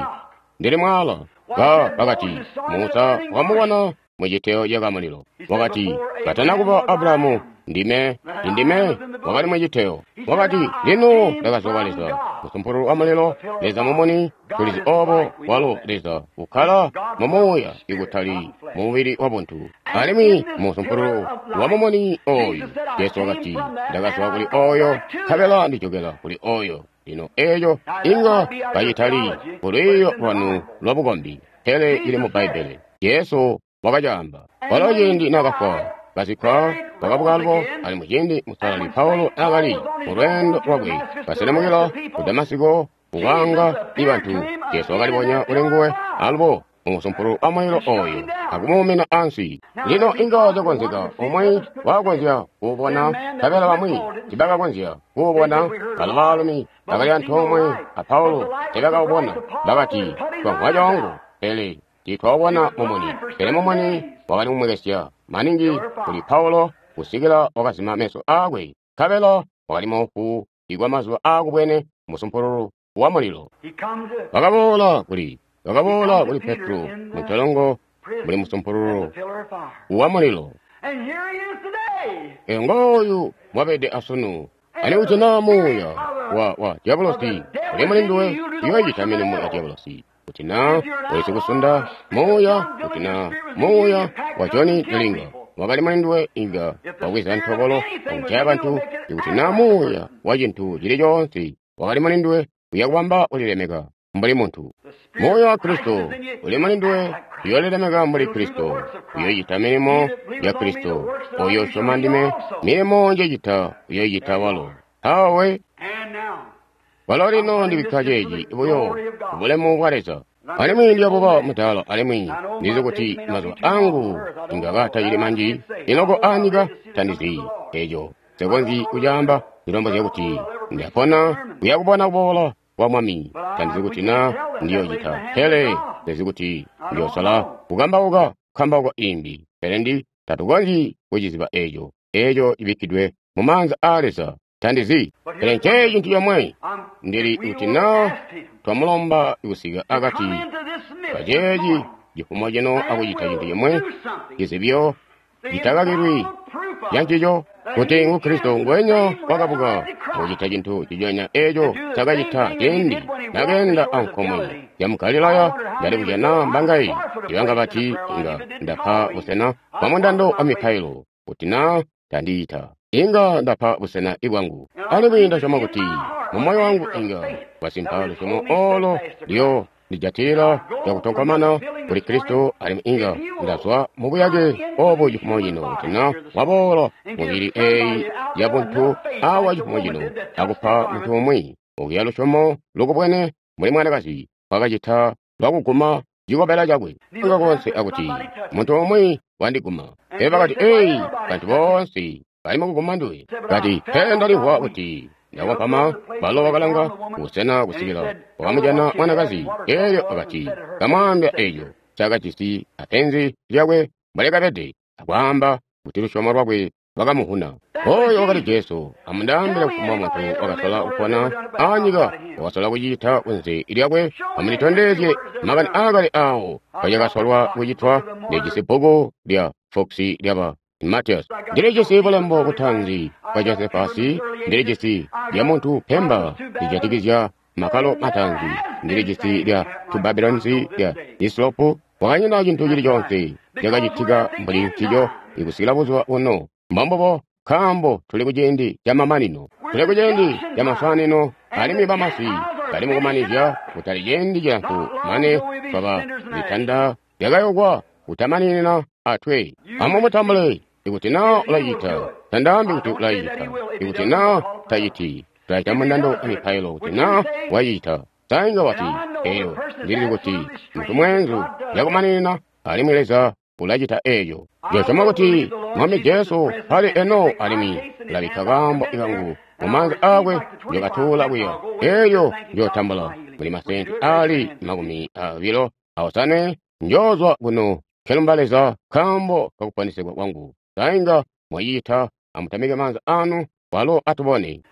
Ndili mwaala. Ba bakati, Musa wamubona mu citeo cakamulilo. Wakati, katana kuba Abrahamu, ndime, ndime wakali mu citeo. Wakati, lino ndakazwa kwa Leza, musumpululu wa mulilo, Leza mumuni, tulizi obo walo Leza ukkala mu muuya ikutali mu mubili wa buntu. Alimwi musumpululu wa mumuni oyu, Jesu wakati, ndakazwa kuli oyo, nkabela ndijokela kuli oyo. Lino eyo inga kacitali kulwiiyo lwanu lwa bukombi, pele ili mu Bbaibbele. Jesu wakacaamba. Walo ciindi naakafwa, kazikkwa, wakabuka alubo, alimwi ciindi Musalali Paulo naakali mu lweendo lwakwe kaselemukila ku Damasiko kukwaanga ibantu, Jesu wakalibonya kuli nguwe alubo mu musumpululu wa mulilo oyo akumuumina ansi. Lino inga cakonzeka umwi wakonzya kuubona, nkabela bamwi tibakakonzya kuubona. Balo baalumi bakali antoomwe a Paulo tibakaubona. Bakati, twamvwa coongo, pele tiitwaubona mumuni. Pele mumuni wakali kumwekesya maningi kuli Paulo kusikila wakazima meso aakwe, nkabela wakali moofu ikwa mazuba aakubwene musumpululu wa mulilo. Wakaboola kuli wakaboola kuli Petro mu ntolongo muli musumpululu wa mulilo. Eyo ngooyu mwabede asunu. Ani kuti naa muuya wa wa diabolosi uli muli nduwe, uyoocita milimo ya diabolosi. Kuti naa wesi kusunda muuya, kuti naa muuya wa Johnny Delinga wakali muli nduwe, inga wabweza ntobolo akujaya bantu. Ikuti naa muuya wa cintu cili coonse wakali muli nduwe, uya kubamba ulilemeka mbuli muntu. Muuya wa Kristo uli muli nduwe, uyoolilemeka mbuli Kristo, uyoocita milimo ya Kristo. Oyo usyoma ndime, milimo njecita uyoocita walo. Awe walo lino ndibikka ceeci buyo kubulemu bwa Leza. Alimwi ndiyabuba mudaala, alimwi ndizi kuti mazuba angu inga katacili manji iloko anyika. Tandizi eco, nsekonzyi kucaamba. Ndilombozya kuti ndapona kuya kubona kuboola kwa Mwami. Tandizi kuti naa ndiyocita, pele ndizi kuti ndiyosala kukambauka kukambauka imbi. Pele ndi tatukonzyi kuciziba eco, eco cibikkidwe mu maanza aa Leza. Tandizi, pele nce cintu comwe ndili kuti naa twamulomba kusika akati kaceeci cifumo cino akucita cintu cimwe cizibyo citakakilwi cancico kuti ngu Kristo ngwenya wakabuka akucita cintu ciconya eco cakacita ciindi nakeenda ankomwe ya mu Galilaya. Ndali kujana mbangayi ibanga bati inga ndapa busena bwa mundando wa mipailo kuti naa tandiita inga ndapa busena ibwangu. Alimwi ndasyoma kuti mu moyo wangu inga kwasimpa lusyomo olo liyo ndijatila cakutonkomana kuli Kristo, alimwi inga ndazwa mu buyake obu cifumo cino kuti na waboola mubili eyi ya buntu awa cifumo cino akupa muntu umwi okuya lusyomo lukubwene mbuli mwanakazi wakacita lwakuguma cikobela cakwe nga konse akuti muntu umwi wandiguma. Pele bakati, eyi bantu boonse bali mukuguma nduwe. Kati, pele ndalimvwa kuti ndakompama. Balo wakalanga busena kusikila wakamujana mwanakazi. Elyo akati kamwaambya eco cakajisi apenzi lyakwe mbwalyakabede, akwaamba kuti lusyomo lwakwe lwakamuhuna. Oyo wakali Jesu. Amundaambile kufumbwa muntu wakasola kupona anyika wakasola kucita kunze lyakwe. Amunditondezye makani aakale awo kacakasolwa kucitwa. Ndijisi bbuku lya Fox lyaba Matias, ndilijisi bulembo butanzi bwa Josefasi, ndilijisi lya muntu Pemba lijatikizya makalo matanzi, ndilijisi lya Tubabilonisi lya Islopu. Wakanyina cintu cili coonse cakacitika mbuli ncico ikusikila buzuba buno. Mbombubo, nkaambo tuli kuciindi ca mamanino, tuli kuciindi ca masanino, alimwi bamasi bali mukumanizya kutali ciindi cilamfu mane twaba zitanda zyakayokwa kutamaninina atwe. Amumutambule ikuti naa ulacita, tandaambi kuti ulacita. Ikuti naa taciti, tulacita mundando wa mipailo kuti naa wacita. Sainga wati, eyo ndilili kuti muntu mweenzu yakumaninina, alimwi Leza ulacita eeco. Njosyoma kuti Mwami Jesu pali eno, alimwi ulabikka kaambo kangu mu maanza aakwe. Njokatuula kuya eeyo njotambula muli masenti ali makumi abilo aosanwe. Njoozwa kuno nkelumba Leza nkaambo kakuponesegwa kwangu. Sainga mwacita Amutamike maanza anu, walo atubone.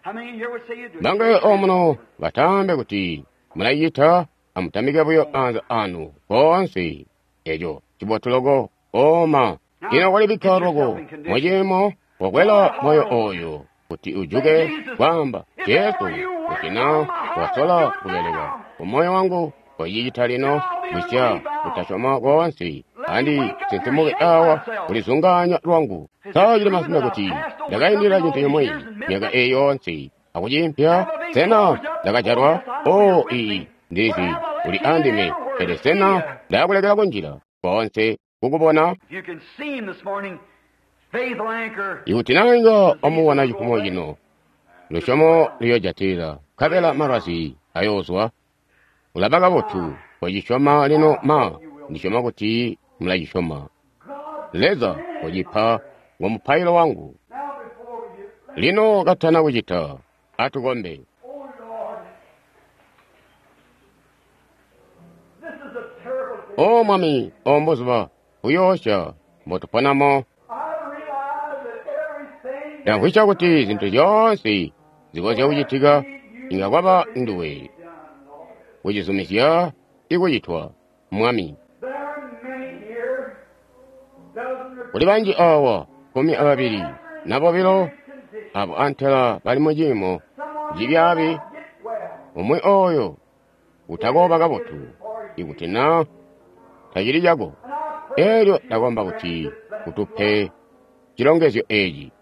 Bangaye omuno batambe kuti mulayita, amutamike buyo maanza anu koonse. Eco cibotu loko oma. Ino kwalibikka loko muciimo wakwela moyo oyo kuti ujuke kwamba Jesu, kuti na wasola kubeleka kumoyo wangu kocicita lino, kwisya kutasyoma koonse andi sinsimuke awa kulizungaanya lwangu. Sa cili masimpe kuti ndakaindila cintu cimwi myaka eyi yoonse akuciimpya? Sena ndakajalwa? O iyi ndizi uli andime, pele sena ndakulekela kunjila koonse kukubona? Ikuti nainga wamubona cifumo cino, lusyomo luyoojatila, nkabela malwazi ayoozwa. Ulaba kabotu kocisyoma lino ma, ndisyoma kuti mulacisyoma. Leza kocipa ngo mupailo wangu. Lino katana kucita, atukombe. O Mwami, o mbuzuba buyoosya mbotuponamo. Ndamvwisya kuti zintu zyoonse zikonzya kucitika inga kwaba nduwe kucizumizya ikucitwa, Mwami. Kuli banji awa kkumi ababili na bobilo abo antela bali muciimo cibyaabi, umwi oyo utakooba kabotu ikuti na tacili cako. Elyo ndakomba kuti utupe cilongezyo eci.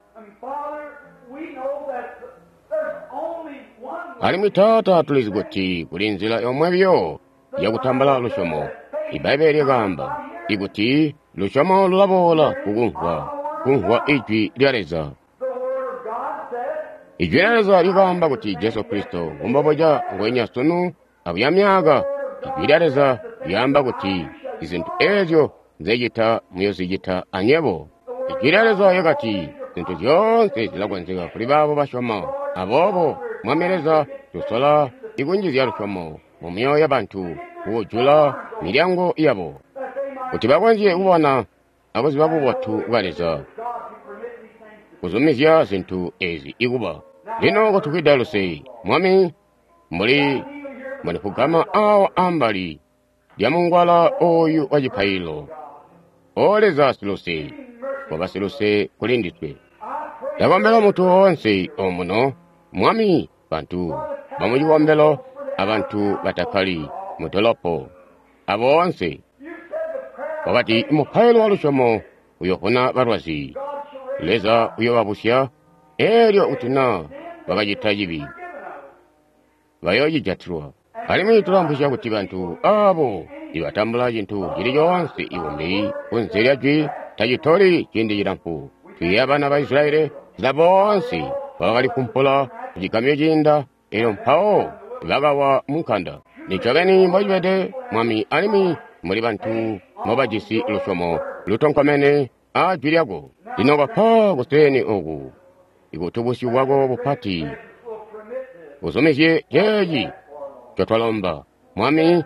Alimwi Taata, tulizi kuti kuli nzila yomwe biyo yakutambula lusyomo. Ibbaibbele lyakaamba ikuti lusyomo lulaboola kukumvwa, kumvwa ijwi lya Leza. Ijwi lya Leza lyakaamba kuti Jesu Kristo ngumboboca ngwenya sunu abuya myaka. Ijwi lya Leza lyaamba kuti izintu ezyo nzecita muyozicita anywebo. Ijwi lya Leza lyakati zintu zyoonse zilakonzeka kuli baabo basyoma. Aboobo Mwami Leza, tusola ikunjizya lusyomo mu myoyo yabantu, kujula milyango yabo kuti bakonzye kubona akuziba bubotu bwa Leza, kuzumizya zintu ezi ikuba. Lino kutufwida luse, Mwami, mbuli mbondifugama awa ambali lya mungwala oyu wa cipaililo. O Leza siluse, koba siluse kuli ndiswe. Ndakombela muntu woonse omuno, Mwami, bantu bamucikombelo abantu batakkali mudolopo, aboonse. Wakati mupailo wa lusyomo uyovuna balwazi, Leza uyobabusya, elyo kuti na bakacita cibi bayoocijatilwa. Alimwi tulamvwisya kuti bantu abo ibatambula cintu cili coonse ikumbi kunze lya jwi tacitoli ciindi cilamfu. Twiiya bana ba Israyeli nzila boonse bakalifumpula kucigamyo ciinda, elyo mpawo bakawa munkanda. Nicobeni mbocibede, Mwami, alimwi muli bantu mobajisi lusyomo lutonkomene a jwi lyako. Lino kopa kuseeni oku ikuti busyu bwako bupati buzumizye ceeci ncotwalomba, Mwami,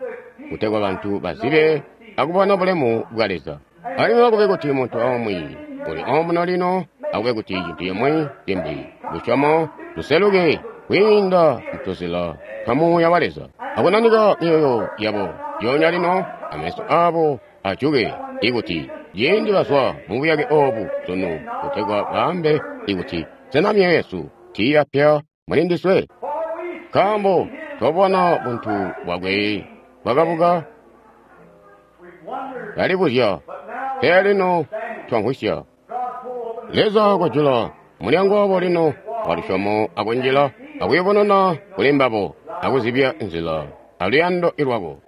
kutegwa bantu bazibe akubona bulemu bwa Leza. Alimwi akube kuti muntu omwe uli omuno lino, akube kuti cintu cimwi cimbi lusyomo luseluke kwiinda mutuzila twa Muuya wa Leza, akunanika myoyo yabo yonya lino, ameso abo ajuke, ikuti ciindi bazwa mubuyake obu sunu, kutegwa baambe ikuti sena myoyo yesu tiiyapya muli ndiswe, nkaambo twabona buntu bwakwe bwakabuka. Talibuzya, pele lino twamvwisya. Leza kojula mulyango wabo lino wa lusyomo akunjila akuyubununa kuli mbabo akuzibya nzila aluyando lwako.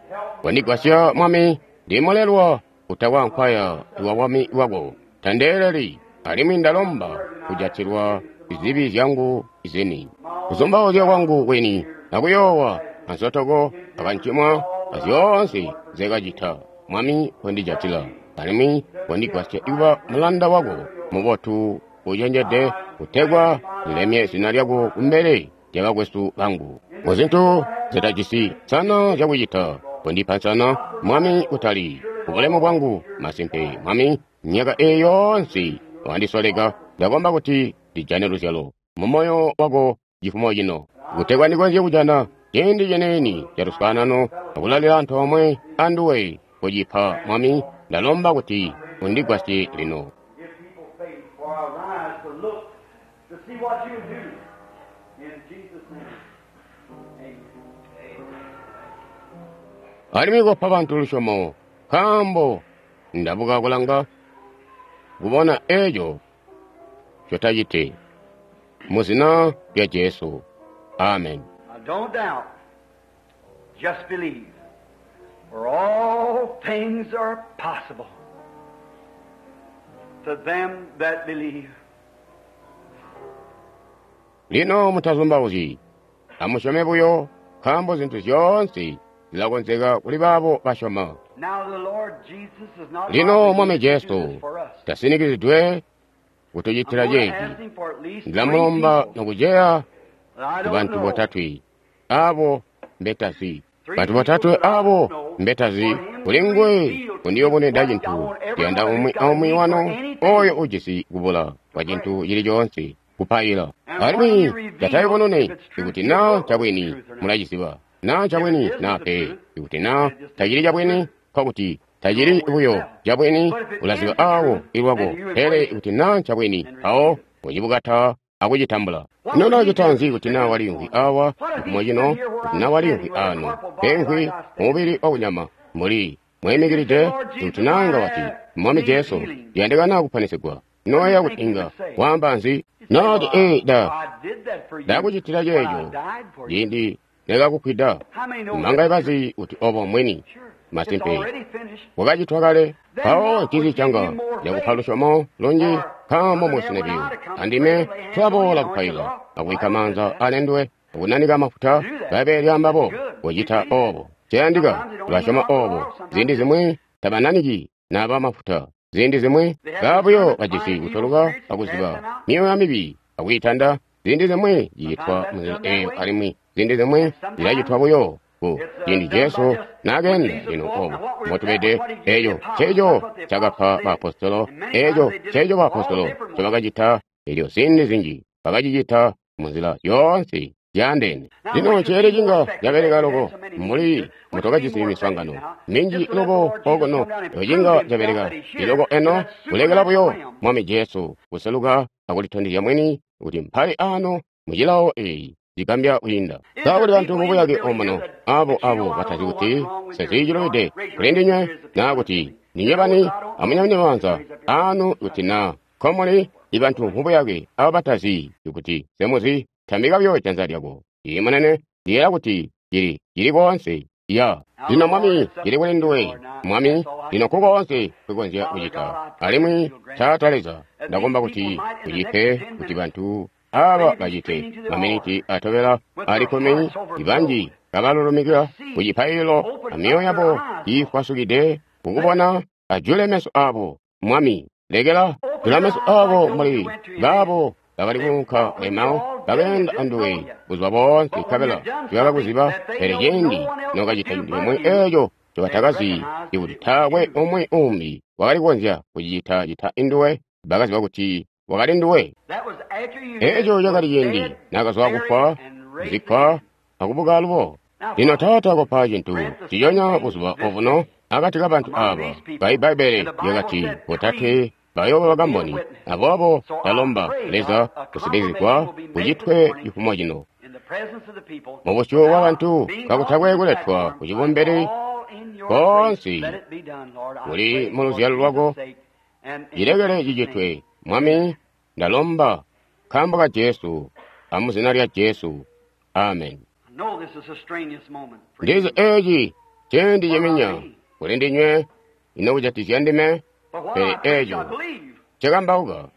Kondigwasya, Mwami, ndimulelwa kutakwa nkwaya iwa bwami bwako. Tandeeleli, alimwi ndalomba kujatilwa zibi zyangu zini, kuzumbauzya kwangu kwini, akuyoowa, ansotoko, akancimwa, azyoonse nzekacita. Mwami, kondijatila, alimwi kondigwasya kuba mulanda wako mubotu ucenjede, kutegwa ndilemye zina lyako kumbele lyabakwesu bangu. Muzintu zitajisi nsana zyakucita, kondipa nsana, Mwami, kutali kubulemu bwangu. Masimpe, Mwami, myaka eyi yoonse wandisoleka, ndakomba kuti ndijane luzyalo mu moyo wako cifumo cino, kutegwa ndikonzye kujana ciindi cenieni ca luswaanano akulalila antoomwe anduwe. Kucipa, Mwami, ndalomba kuti undigwasye lino. Give people faith for our eyes to look, to see what you do. In Jesus' name. Amen. Alimwi kopa bantu lusyomo, nkaambo ndabuka kulanga kubona eco cotacite. Mu zina lya Jesu. Amen. Now, don't doubt. Just believe. For all things are possible to them that believe. Lino mutazumbauzyi, amusyome buyo, nkaambo zintu zyoonse zilakonzeka kuli baabo basyoma. Now the Lord Jesus is not Lino Mwami obligated to do Jesu this for us. tasinikizidwe I'm kutucitila going to ceeci. ask him for at least three Ndilamulomba people nokuceya that I don't bantu know. botatwe abo mbetazi, bantu botatwe abo mbetazi kuli nguwe kundiyoboneda cintu. Ndiyanda umwi aumwi wanu oyo ujisi kubula kwa cintu cili coonse kupaila, alimwi tatayubunune ikuti naa ncabwini mulaciziba, naa ncabwini naa pe. Ikuti naa tacili cabwini, nkokuti tacili buyo cabwini, ulaziba awo ilwako. Pele ikuti naa ncabwini, mpawo ucibukata akucitambula. Ino nacita nzi kuti naa waliimvwi awa cifumo cino, kuti naa waliimvwi ano pemvwi mubili wakunyama mbuli mwimikilide, kuti nanga wati, Mwami Jesu, ndiyandikana kuponesegwa, noya kuti inga waamba nzi? Nati, ee, da I did that for you ndakucitila when I ceeco died for you. ciindi nekakukwida. How many know Manga that? ibazi kuti obo mwini Sure. It's masimpe already finished. wakacitwa kale. Mpawo ncinzi canga ndakupa lusyomo lunji, nkaambo musinebiyo andime tulaboola kupaila akubikka maanza alendwe akunanika mafuta. Bbaibbele lyaambabo kucita obo ciyandika tulasyoma obo. Ziindi zimwi tabananiki naba mafuta, ziindi zimwi babuyo bajisi kutoluka akuziba myoyo mibi akuyitanda. Ziindi zimwi cicitwa munzila eyo, alimwi ziindi zimwi zilacitwa buyo ku ciindi Jesu naakenda. Lino obo mbotubede. Eco nceco cakapa baapostolo, eco nceco baapostolo ncobakacita. Elyo ziindi zinji bakacicita munzila yoonse zyaandeene. Lino ceele cinga cabeleka loko mbuli mutokajisi miswaangano minji loko okuno, eco cinga cabeleka iloko eno kulekela buyo Mwami Jesu kuseluka akulitondezya mwini kuti mpali ano mucilawo eyi cigambya kwiinda. Sa kuli bantu mubuyake omuno abo abo batazi kuti sezicilubide kuli ndinywe, naa kuti ndinywe bani? Amunyamune maanza anu kuti naa nkomuli ibantu mubuyake abo batazi kuti semuzi. Tambika buyo janza lyako. Iye munene, ndiyela kuti cili cili koonse ya. Lino Mwami, cili kuli nduwe Mwami. Lino kukoonse kwikonzya kucita. Alimwi Taata Leza, ndakomba kuti ucipe kuti bantu aba bacite maminiti atobela ali kkumi ibanji kabalulumikila ku cipaililo amyoyo yabo iifwasukide kukubona. Ajule meso abo, Mwami, lekela jula meso abo mbuli baabo bakali kuunka Emau, bakeenda anduwe buzuba boonse nkabela tibakakuziba. Pele ciindi nokacita cintu cimwi eeco ncobatakazi, ikuti taakwe umwi umbi wakali kukonzya kucicita cita induwe, bakaziba kuti wakali nduwe. That was after you Eeco cakali ciindi dead, nakazwa kufwa, buried, and raised kuzikkwa again. akubuka alubo. Lino Taata, kopa cintu ciconya buzuba obuno akati kabantu aba. Bbaibbele lyakati botatwe bayooba bakamboni. Aboobo ndalomba, Leza, kusitikizigwa kucitwe cifumo cino In the presence of the people, mubusyu bwa bantu, being kakutakwe on this kuletwa platform, ku cibumbili all in your koonse grace, let it be done, Lord. I kuli pray mu for luzyalo lwako. Jesus' sake and in Cilekele Jesus' name. cicitwe, Mwami, ndalomba nkaambo ka Jesu amuzina lya Jesu. Amen. I know this is a strenuous moment for Ndizi you. eeci ciindi ciminya kuli ndinywe ino kujatikizya ndime, But what pele I preach, I eeco believe. ncekambauka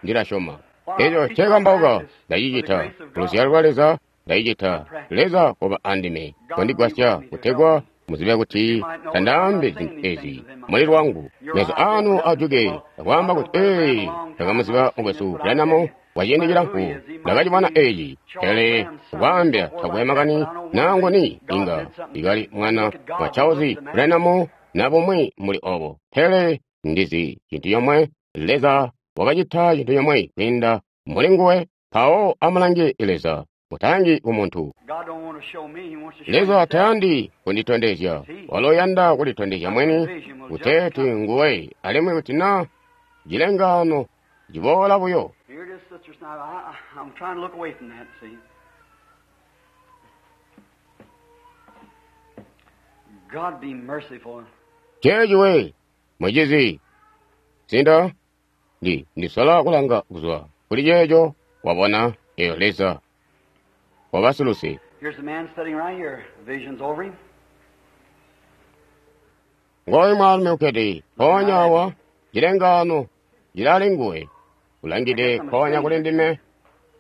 ndilasyoma. Eeco ncekambauka ndacicita luzyalo lwa Leza, ndacicita. Leza koba andime kondigwasya kutegwa muzibe kuti tandaambi zintu ezi muli lwangu. Meso anu ajuke akwaamba kuti, ee, ndakamuziba mukwesu Branham kwa ciindi cilamfu, ndakacibona eci. Pele kwaambya takwe makani nangoni inga ikali mwana wa Charles Branham na bumwi muli obo. Pele ndizi cintu comwe, Leza wakacita cintu comwe kwiinda muli nguwe. Mpawo amulange Leza, mutalangi ku muntu. God don't want to show me, he wants to show Leza himself. tayandi kunditondezya, walo uyanda kulitondezya mwini kuteeti nguwe, alimwi kuti na cilengaano ciboola buyo. Here it is, sisters. Now, I, I, I'm trying to look away from that, see. God be merciful. Ceeci mucizi, sinda ndi ndisola kulanga kuzwa kuli ceeco wabona eyo Leza wabasiluse. Here's a man sitting right here. Vision's over him. Ngooyu mwaalumi ukkede mpoonya awa, cilengaano cilali nguwe, ulangide mpoonya kuli ndime,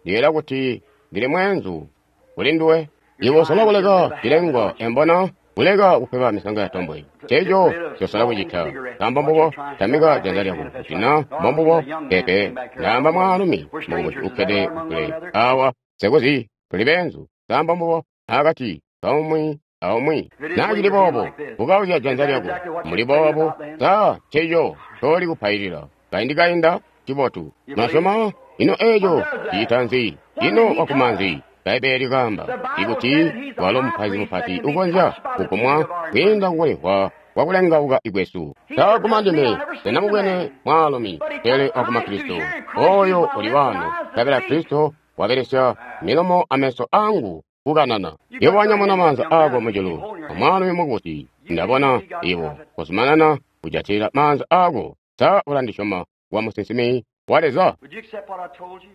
ndiyeeya kuti ndili mweenzu kuli nduwe. Iwe usola kuleka cilengwa embona kuleka kupepa misanga ya tombwe. Ceeco cosola kucita. Nkaambo mbubo tamika janza lyako kuti na mbombubo pepe ndaamba mwaalumi mukubusi ukkede kule awa sekuzi tuli beenzu. Nkaambo mbubo akati kaumwi aumwi naa cili boobo bukauzya janza lyako muli boobo sa ceeco ncoli kupailila kaindi kainda cibotu masyoma ino eeco ciita nzi ino wakuma nzi Bbaibbele likaamba ikuti walo mupaizi mupati ukonzya kukumwa kwiinda kukulihwa kwakulengauka ikwesu. Taakuma ndime senamubwene mwaalumi pele wakuma Kristo oyo uli wano nkabela Kristo wabelesya milomo ameso angu kukanana. Iwo wanyamuna maanza ako mujulu omwaalumi mukubusi ndabona iwo kuzumanana kujatilila maanza ako. Sa ulandisyoma wa musinsimi wa Leza? Would you accept what I told you?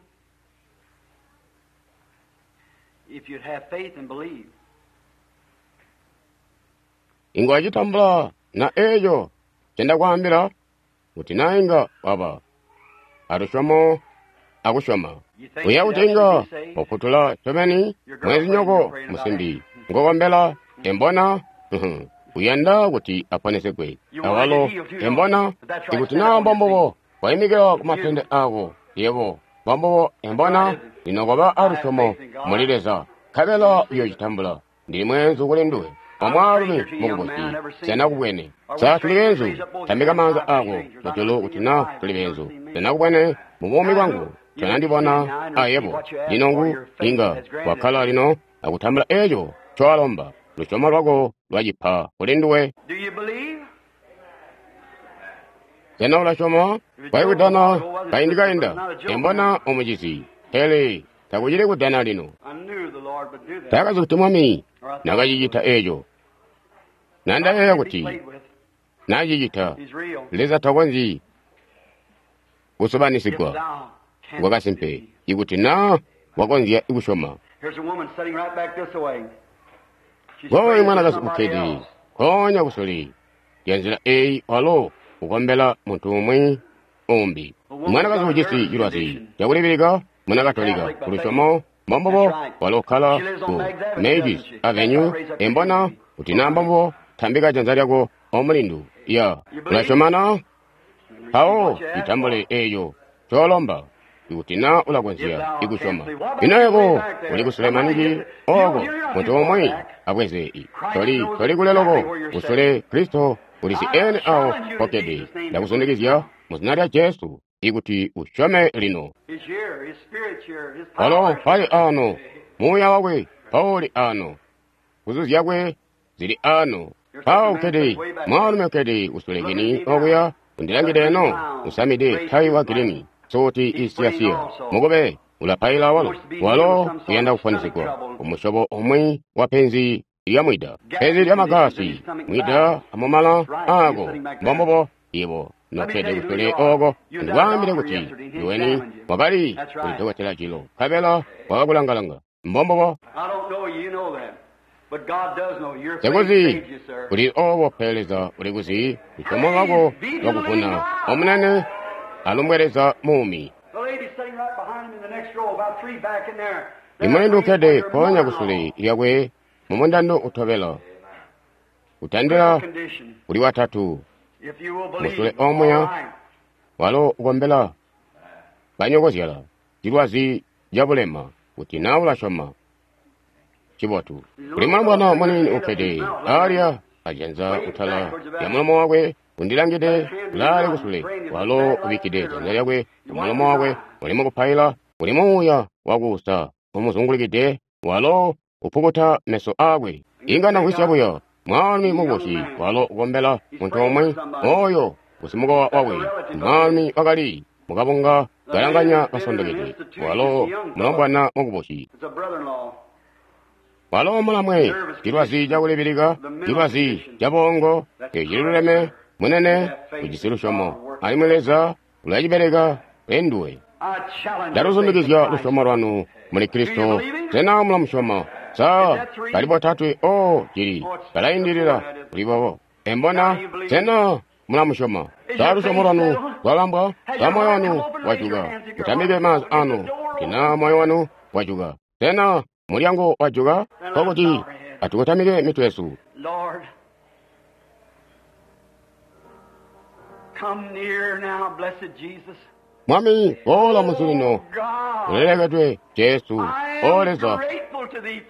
If you'd have faith and believe. Inga wacitambula na eeco ncendakwaambila kuti na inga waba alusyomo akusyoma. You think Uya you'd kuti inga actually be saved? wafutula ncobeni mwezinyoko musimbi ngokombela embona uyanda kuti aponesegwe awalo embona ikuti naa mbombubo wayimikila ku matende ako yebo mbombubo embona lino koba alusyomo muli Leza nkabela uyoocitambula. Ndili mweenzu kuli nduwe omwaalumi mukubusi senakubwene. Sa tuli beenzu? Tambika maanza ako mujulu kuti na tuli beenzu. Senakubwene mu buumi bwangu tonandibona ayebo. Lino ngu inga wakkala lino akutambula eeco ncowalomba. Lusyomo lwako lwacipa kuli nduwe. Do you believe? Sena ulasyoma? Kwali kudana kaindi kainda embona omucizi, pele takucili kudana lino. I knew the Lord would do that. Ndakazi kuti Mwami Or I thought nakacicita eeco. Nandayeeya he kuti played with. nacicita He's real. Leza takonzyi If kusubanisigwa thou canst kwakasimpe believe. ikuti naa wakonzya kusyoma. Here's a woman sitting right back this way. She's Ngooyu praying for mwanakazi somebody ukkede else. nkoonya kusule lya nzila eeyi walo ukombela muntu umwi umbi. Mwanakazi ujisi cilwazi cakulibilika muna Katolika kulusyomo mbombubo walo ukkala ku Mavis Avenue embona kuti naa mbombubo tambika janza lyako omulindu ya ulasyomana mpawo itambule eeyo colomba ikuti naa ulakonzya ikusyoma. Ino yebo uli kusule maningi oko muntu umwi abweze toli toli kule loko kusule Kristo ulizi ene awo pokkede. Ndakuzundikizya mu zina lya Jesu ikuti usyome lino. He's here. His spirit's here. His Walo power is mpali here. ano, muuya wakwe mpawuli ano, nguzu zyakwe zili ano. Mpawo ukkede mwaalumi ukkede kusulekeni okuya undilangide eno usamide tayi wa gilini suti isiyasiya mukube ulapaila walo walo uyanda kuponesegwa kumusyobo umwi wa penzi lya mwida penzi lya magasi mwida amumala ako mbombubo ibo nokkede kusule oko ndikwaambile kuti iweni wakali kulidokotela cilo nkabela wakakulangalanga mbombubo I don't know you, you know that. But God does know. Your faith sekuzi saved you, sir. kuli obo pele Leza uli kuzi lusyomo lwako lwakuvuna omunene alumbwe muumi. The lady sitting right behind him in the next row, about three back in there. They're Imulindu praying for ukkede their mpoonya mother-in-law. kusule lyakwe mumundando utobela kutandila Condition. kuli watatu If you will musule believe, omuya all right. walo ukombela banyokozyala cilwazi cabulema kuti naa ulasyoma cibotu. Kuli mwalubwana muniini ukkede alya ajanza kutala lya mulomo wakwe undilangide ulaale kusule walo ubikkide janza lyakwe kumulomo wakwe uli mukupaila. Kuli muuya wakuusa umuzungulikide, walo upukuta meso aakwe. Inga ndamvwisya buyo mwaalumi mukubusi walo ukombela muntu omwe oyo usimukowa wakwe. Mwaalumi wakali mukabunga kalanganya kasondokede, walo mulombwana mukubusi. Walo mulamwe cilwazi cakulibilika, cilwazi cabongo, eciluleme munene ujisi lusyomo, alimwi Leza ulacibeleka enduwe. Ndaluzumikizya lusyomo lwanu muli Kristo. Sena mulamusyoma? Sa bali botatwe o cili balaindilila kuli bobo. Embona, sena mulamusyoma? Sa lusyomo lwanu lwabambwa? Sa moyo wanu wajuka? Mutambike maanza anu kuti na moyo wanu wajuka. Sena mulyango wajuka? Nkokuti atukotamike mitwe yesu. Mwami, boola munsi lino, ulelekedwe Jesu. O Leza,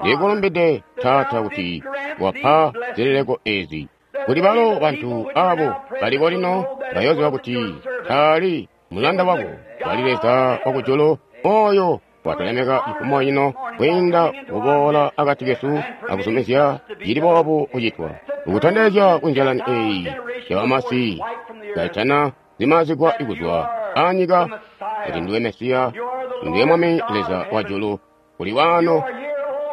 ndikulumbide Taata kuti wapa zileleko ezi, kuti balo bantu abo baliko lino bayoziba kuti taali mulanda wako, wali Leza wakujulu oyo watulemeka cifumo cino kwiinda kuboola akati kesu akuzumizya cili boobu kucitwa, ukutondezya kunjalani eyi yabamasi kaitana zimazigwa ikuzwa anyika kuti ndiwe Mesiya, ndiwe Mwami Leza wa julu, kuli wano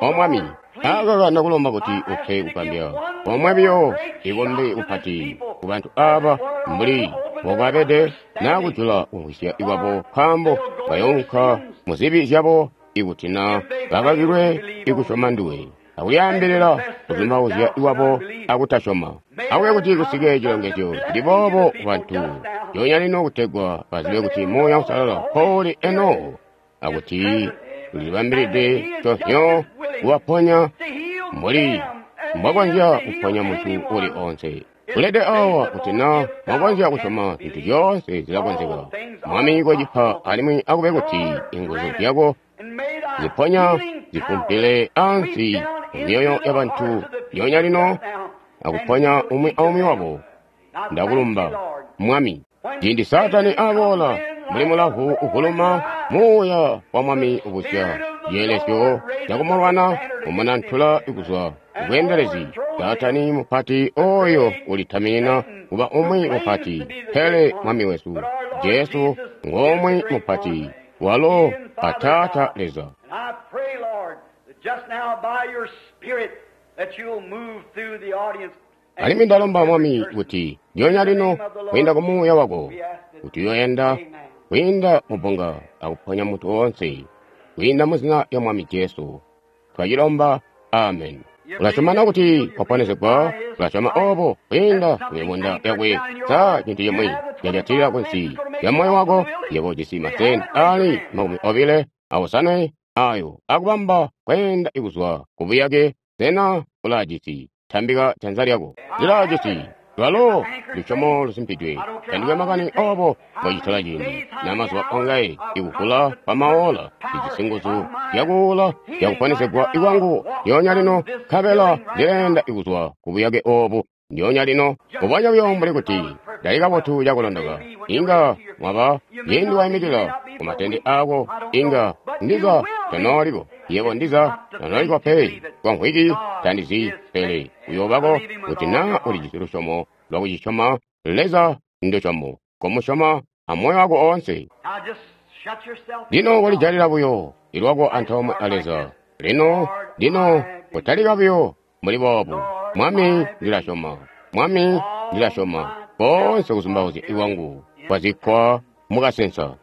o Mwami. Akaka ndakulomba kuti upe kugambya omwe biyo ikombe kupati ku bantu aba mbuli mbokabede nakujula kumvwisya ikwabo, nkaambo bayounka mu zibi zyabo ikuti na bakakilwe ikusyoma nduwe, akuyaambilila kuzumbauzya ikwabo akutasyoma. Akube kuti kusike cilongezyo cili boobo ku bantu ndyoonya lino kutegwa bazibe kuti Muuya Uusalala mpoli eno, akuti ulibambilide conyo kubaponya mbuli mbwakonzya kuponya muntu uli onse. Ulede awa kuti na mwakonzya kusyoma zintu zyoonse zilakonzeka. Mwami kocipa alimwi akube kuti inguzu zyako ziponya zifumpile ansi mumyoyo yabantu ndyoonya lino akuponya umwi aumwi wabo. Ndakulumba Mwami. Ciindi Saatani aboola mbuli mulavu uvuluma, muuya wa Mwami ubusya ceelesyo cakumulwana umunantula kuzwa kubweendelezi. Saatani mupati oyo ulitaminina kuba umwi mupati, pele Mwami wesu Jesu ngomwe mupati, walo a Taata Leza. Alimwi ndalomba Mwami kuti ndyoonya lino kwiinda ku Muuya wako kuti uyoyenda kwiinda mubbunga akuponya muntu woonse kwiinda mu zina lya Mwami Jesu. Twacilomba, amen. Ulasyoma kuti waponezegwa? Ulasyoma obo kwiinda kumibunda yakwe? Sa cintu cimwi cajatilila kunsi ya moyo wako? Yebo ujisi masenti ali makumi obile awosanwe ayo akubamba kweenda ikuzwa kubuyake. Sena ulaajisi? Tambika janza lyako. Lilaajisi. Lwalo lusyomo lusimpidwe. Tandikwe makani obo mbocitola ciindi na mazuba ongaye ikuvula kwamaola. Lijisi nguzu zyakuula zyakuponesegwa ikwangu ndyoonya lino, nkabela ndileenda ikuzwa kubuyake obu ndyoonya lino. Kubonya buyo mbuli kuti ndali kabotu cakulondoka. Inga mwaba ciindi waimikila ku matende aako, inga ndiza tonooliko. Yebo ndiza tonooliko pe kwa mvwiki, tandizi, pele uyoobako kuti na ulijisi lusyomo lwakucisyoma Leza ndusyomo, komusyoma amoyo wako oonse. Lino kolijalila buyo ilwako antoomwe a Leza. Lino, lino kotalika buyo mbuli boobu. Mwami, ndilasyoma. Mwami, ndilasyoma. Koonse kuzumbauzya ikwangu kwazikkwa mukasensa.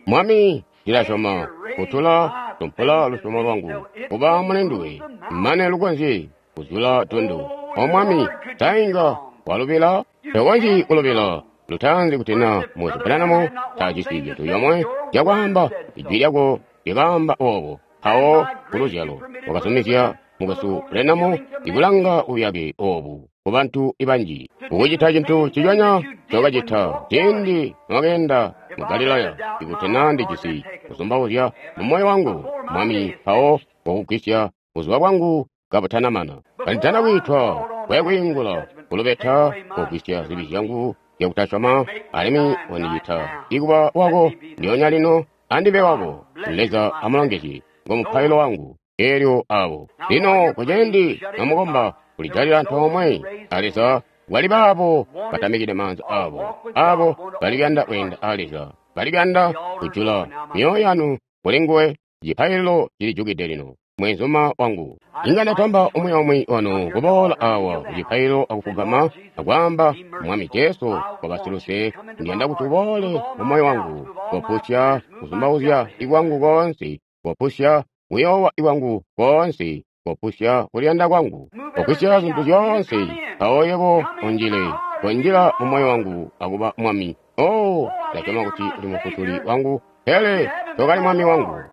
Mwami, ndilasyoma. Kutula tumpula lusyomo lwangu kuba mulinduwe mane lukonzye kuzula tundu. O Mwami, tainga walubila? Tokonzyi kulubila. Lutaanzi kuti na Mukwesu Branham tajisi cintu yomwe cakwaamba, ijwi lyako lyakaamba obo. Mpawo kuluzyalo wakazumizya Mukwesu Branham ikulanga buyake obu ku bantu banji, ukucita cintu ciconya ncokacita ciindi nwakeenda mu Galilaya. Ikuti na ndijisi kuzumbauzya mu moyo wangu, Mwami, mpawo wakugwisya buzuba bwangu kabutanamana. Kanditana kwiitwa kwekwiingula kulubeta, kugwisya zibi zyangu zyakutasyoma, alimwi wandicita ikuba wako ndyoonya lino. Andibe wako. Leza amulongezye. Ngo mupailo wangu. Elyo abo. Lino kuciindi nomukomba kulijalila antoomwe a Leza, bali baabo batamikide maanza abo, abo balikuyanda kweenda a Leza, balikuyanda kujula myoyo yanu kuli nguwe. Cipaililo cilijukide lino, mwenzuma wangu. Inga ndatamba umwi aumwi wanu kuboola awa ku cipaililo akufugama akwaamba, Mwami Jesu, kobasiluse, ndiyanda kuti uboole mu moyo wangu, kopusya kuzumbauzya ikwangu koonse, kopusya kuyoowa ikwangu koonse, kopusya kuliyanda kwangu, kopusya zintu zyoonse, mpawo yebo unjile, konjila mu moyo wangu akuba Mwami. Oh, ndasyoma kuti uli Mufutuli wangu, pele tokali Mwami wangu.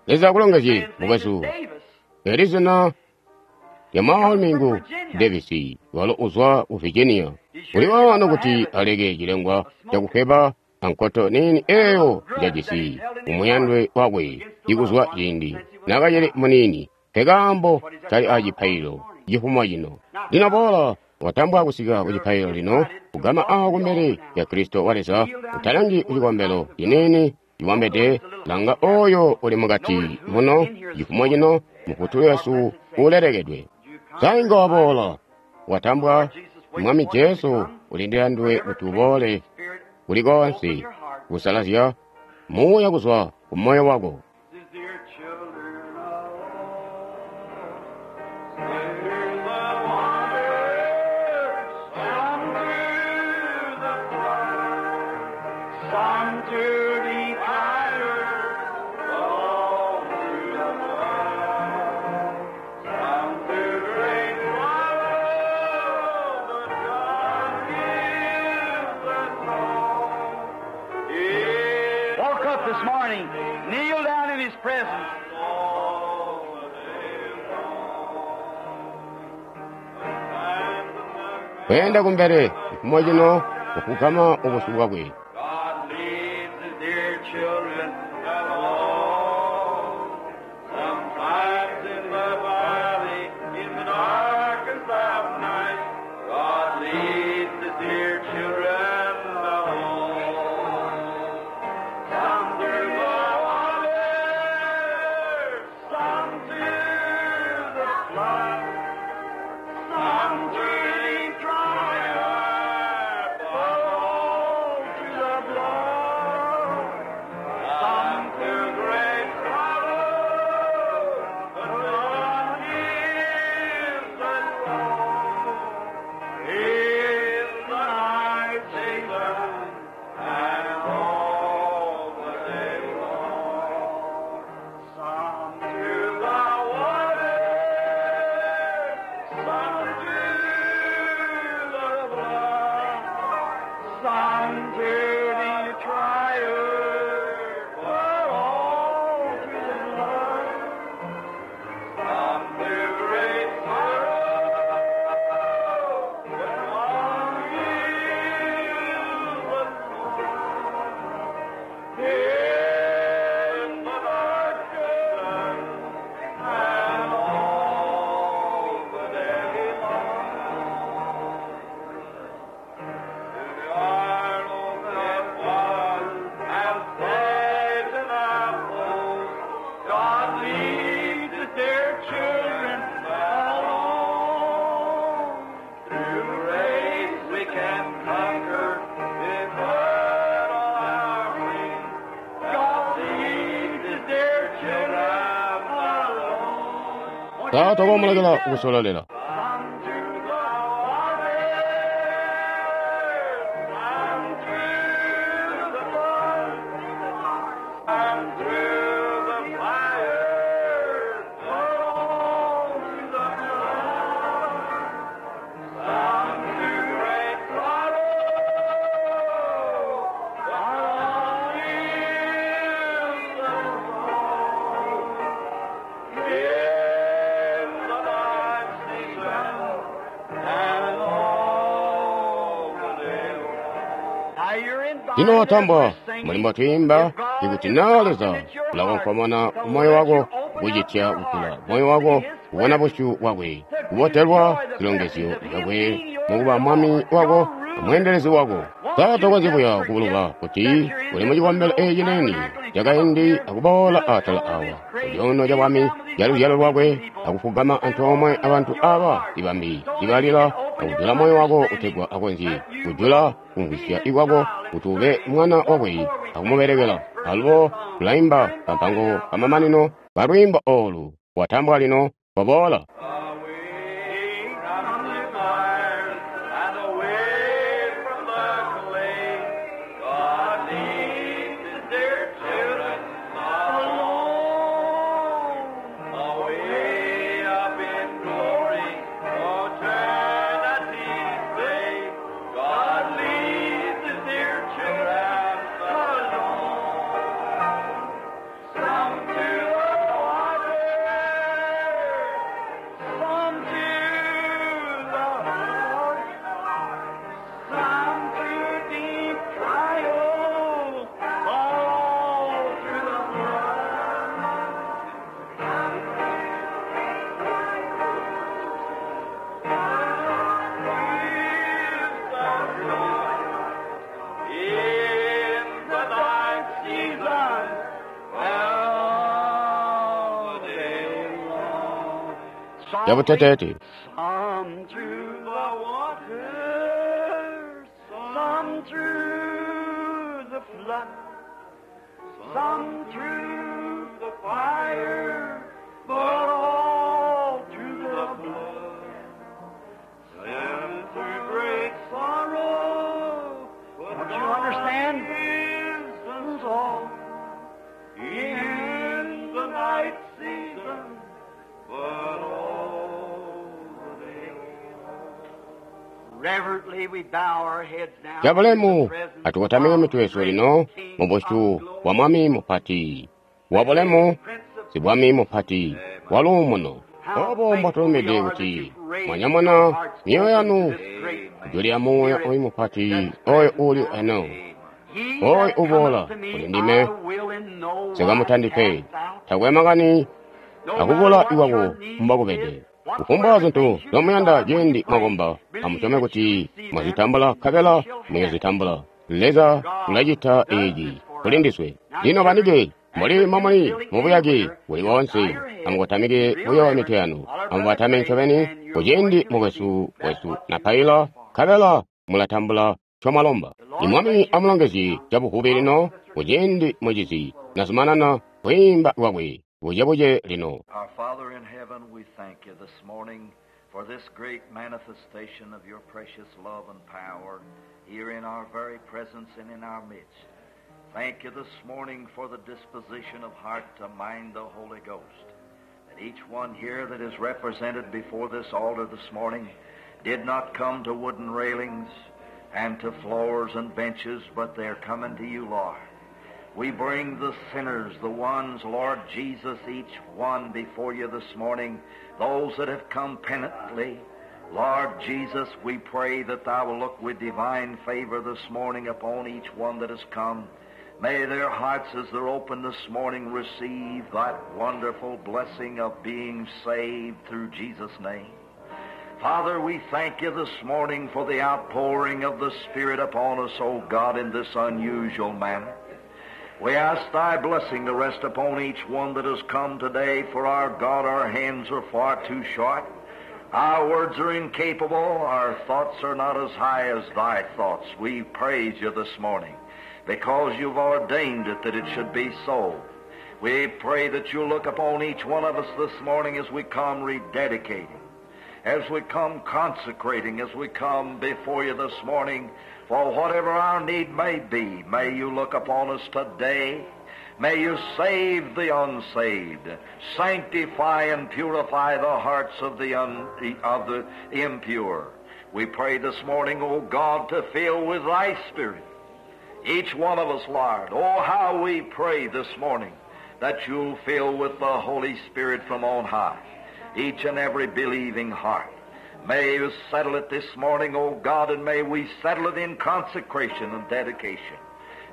Leza akulongezye, mukwesu. Eli zina lya mwaalumi ngu Davis, walo uzwa ku Virginia. Uli waano kuti aleke cilengwa cakufweba ankoto niini eyo njajisi umuyandwe wakwe ikuzwa ciindi nakacili muniini. Nkekaambo kali a cipaililo cifumo cino. Lino boola, watambwa kusika ku cipaililo lino, kugama awo kumbele ya Kristo wa Leza, utalangi ku cikombelo ciniini cibombede, langa oyo uli mukati muno cifumo cino, Mufutuli wesu ulelekedwe. Sainga waboola, watambwa. Mwami Jesu ulindila nduwe kuti uboole kuli koonse kusalazya muuya kuzwa ku moyo wako. Woke up this morning, kneel down in His presence. Kweenda kumbele cifumo cino kufugama ubusyu bwakwe. God leads His dear children along. Sometimes in the valley, in the darkest of night, God leads His dear children along. Some through the water, some through the flood, some through the trial, but all through the blood. Some through great sorrow, but God is the Lord. In the night season and all the day long. Some through the water, some through the blood, some through the trial, but all through the blood. Some through great sorrow, but one is the Lord. In the darkness and all the day long. To the arnold that was and Satan apples, God leads his dear children along. Through grace we can conquer if put on our wings. God leads his dear children along. Taata wamulekela kusolelela. Some to the water, some through the flood, some through the fire, but all through the blood. Some through great sorrow, but all is the Lord. In the night season and all the day long. Lino watambwa mulimbo tuyimba ikuti naa Leza ulakonkomona moyo wako kucitya kujula moyo wako kubona busyu bwakwe kubotelwa zilongezyo zyakwe mukuba mwami wako amweendelezi wako. Sa tokonzyi buya kubuluba kuti uli mu cikombelo eeci neni cakaindi akuboola atala awa kucuuno cabwami ca luzyalo lwakwe akufugama antoomwe abantu aba ibambi ibalila akujula moyo wako kutegwa akonzye kujula kumvwisya ikwako kuti ube mwana wakwe akumubelekela. Alubo tulaimba kampango kamamanino kalwiimbo olu watambwa lino koboola. Away from the fires and away from the clay, God leads His dear children alone. Away up in glory, eternity's day, God leads His dear children alone. Some to the water, some to the Lord, some through deep trials, all through the blood. In the night season, all day long. Yabutetete. Some through the water, some through the flood, some through the fire, but all through the blood. Some through great sorrow, but Don't you understand? God is all in the night season, but all the day long. Reverently we bow our heads now. Cabulemu atukotamike mitwe yesu lino mu busyu bwa Mwami mupati wa bulemu, sibwami mupati wa luumuno. Obo mbwatulumide kuti mwanyamuna myoyo yanu kujulya muuya oyu mupati oyo uli eno oyo uboola kuli ndime sikamutandi pe takwe makani akubula iwako mbwakubede. Kufumbwa zintu zomuyanda ciindi mwakomba, amusyome kuti mwazitambula nkabela muyozitambula. Leza ulacita eeci kuli ndiswe. Lino banike mbuli momuli mubuyake buli boonse, amukotamike buyo mitwe yanu, amubatame ncobeni kuciindi mukwesu wesu napaila, nkabela mulatambula ncomwalomba. Imwami amulongezye cabuvubi lino kuciindi mucizi nazumanana kwiimba kwakwe bucebuce lino. Our Father in heaven, we thank you this morning for this great manifestation of your precious love and power here in our very presence and in our midst. Thank you this morning for the disposition of heart to mind the Holy Ghost. That each one here that is represented before this altar this morning did not come to wooden railings and to floors and benches, but they're coming to you, Lord. We bring the sinners, the ones, Lord Jesus, each one before you this morning, those that have come penitently. Lord Jesus, we pray that thou will look with divine favor this morning upon each one that has come. May their hearts, as they're open this morning, receive that wonderful blessing of being saved through Jesus' name. Father, we thank you this morning for the outpouring of the Spirit upon us, O God, in this unusual manner. We ask thy blessing to rest upon each one that has come today, for our God, our hands are far too short. Our words are incapable. Our thoughts are not as high as thy thoughts. We praise you this morning because you've ordained it that it should be so. We pray that you look upon each one of us this morning as we come rededicating, as we come consecrating, as we come before you this morning, for whatever our need may be, may you look upon us today. May you save the unsaved, sanctify and purify the hearts of the, un, of the impure. We pray this morning, O God, to fill with thy Spirit each one of us, Lord. Oh, how we pray this morning that you'll fill with the Holy Spirit from on high each and every believing heart. May you settle it this morning, O God, and may we settle it in consecration and dedication.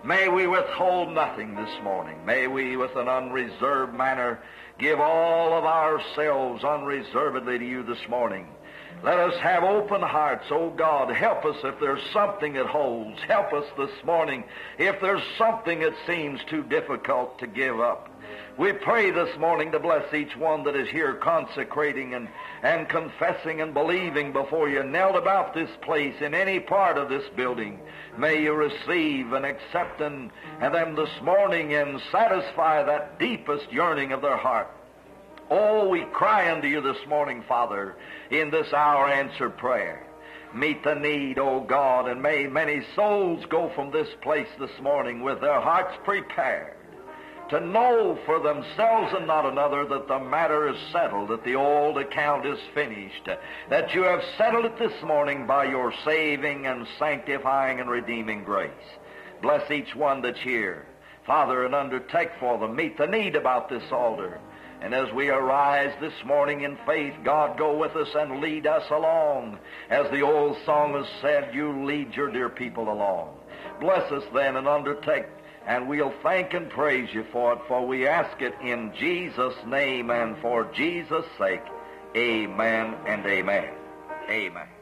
May we withhold nothing this morning. May we, with an unreserved manner, give all of ourselves unreservedly to you this morning. Let us have open hearts, O God. Help us if there's something that holds. Help us this morning if there's something that seems too difficult to give up. We pray this morning to bless each one that is here consecrating and, and confessing and believing before you, knelt about this place in any part of this building. May you receive and accept and, and them this morning and satisfy that deepest yearning of their heart. Oh, we cry unto you this morning, Father, in this hour answer prayer. Meet the need, O God, and may many souls go from this place this morning with their hearts prepared to know for themselves and not another that the matter is settled, that the old account is finished, that you have settled it this morning by your saving and sanctifying and redeeming grace. Bless each one that's here, Father, and undertake for them, meet the need about this altar. And as we arise this morning in faith, God, go with us and lead us along. As the old song has said, you lead your dear people along. Bless us then and undertake, and we'll thank and praise you for it, for we ask it in Jesus' name and for Jesus' sake. Amen and amen. Amen.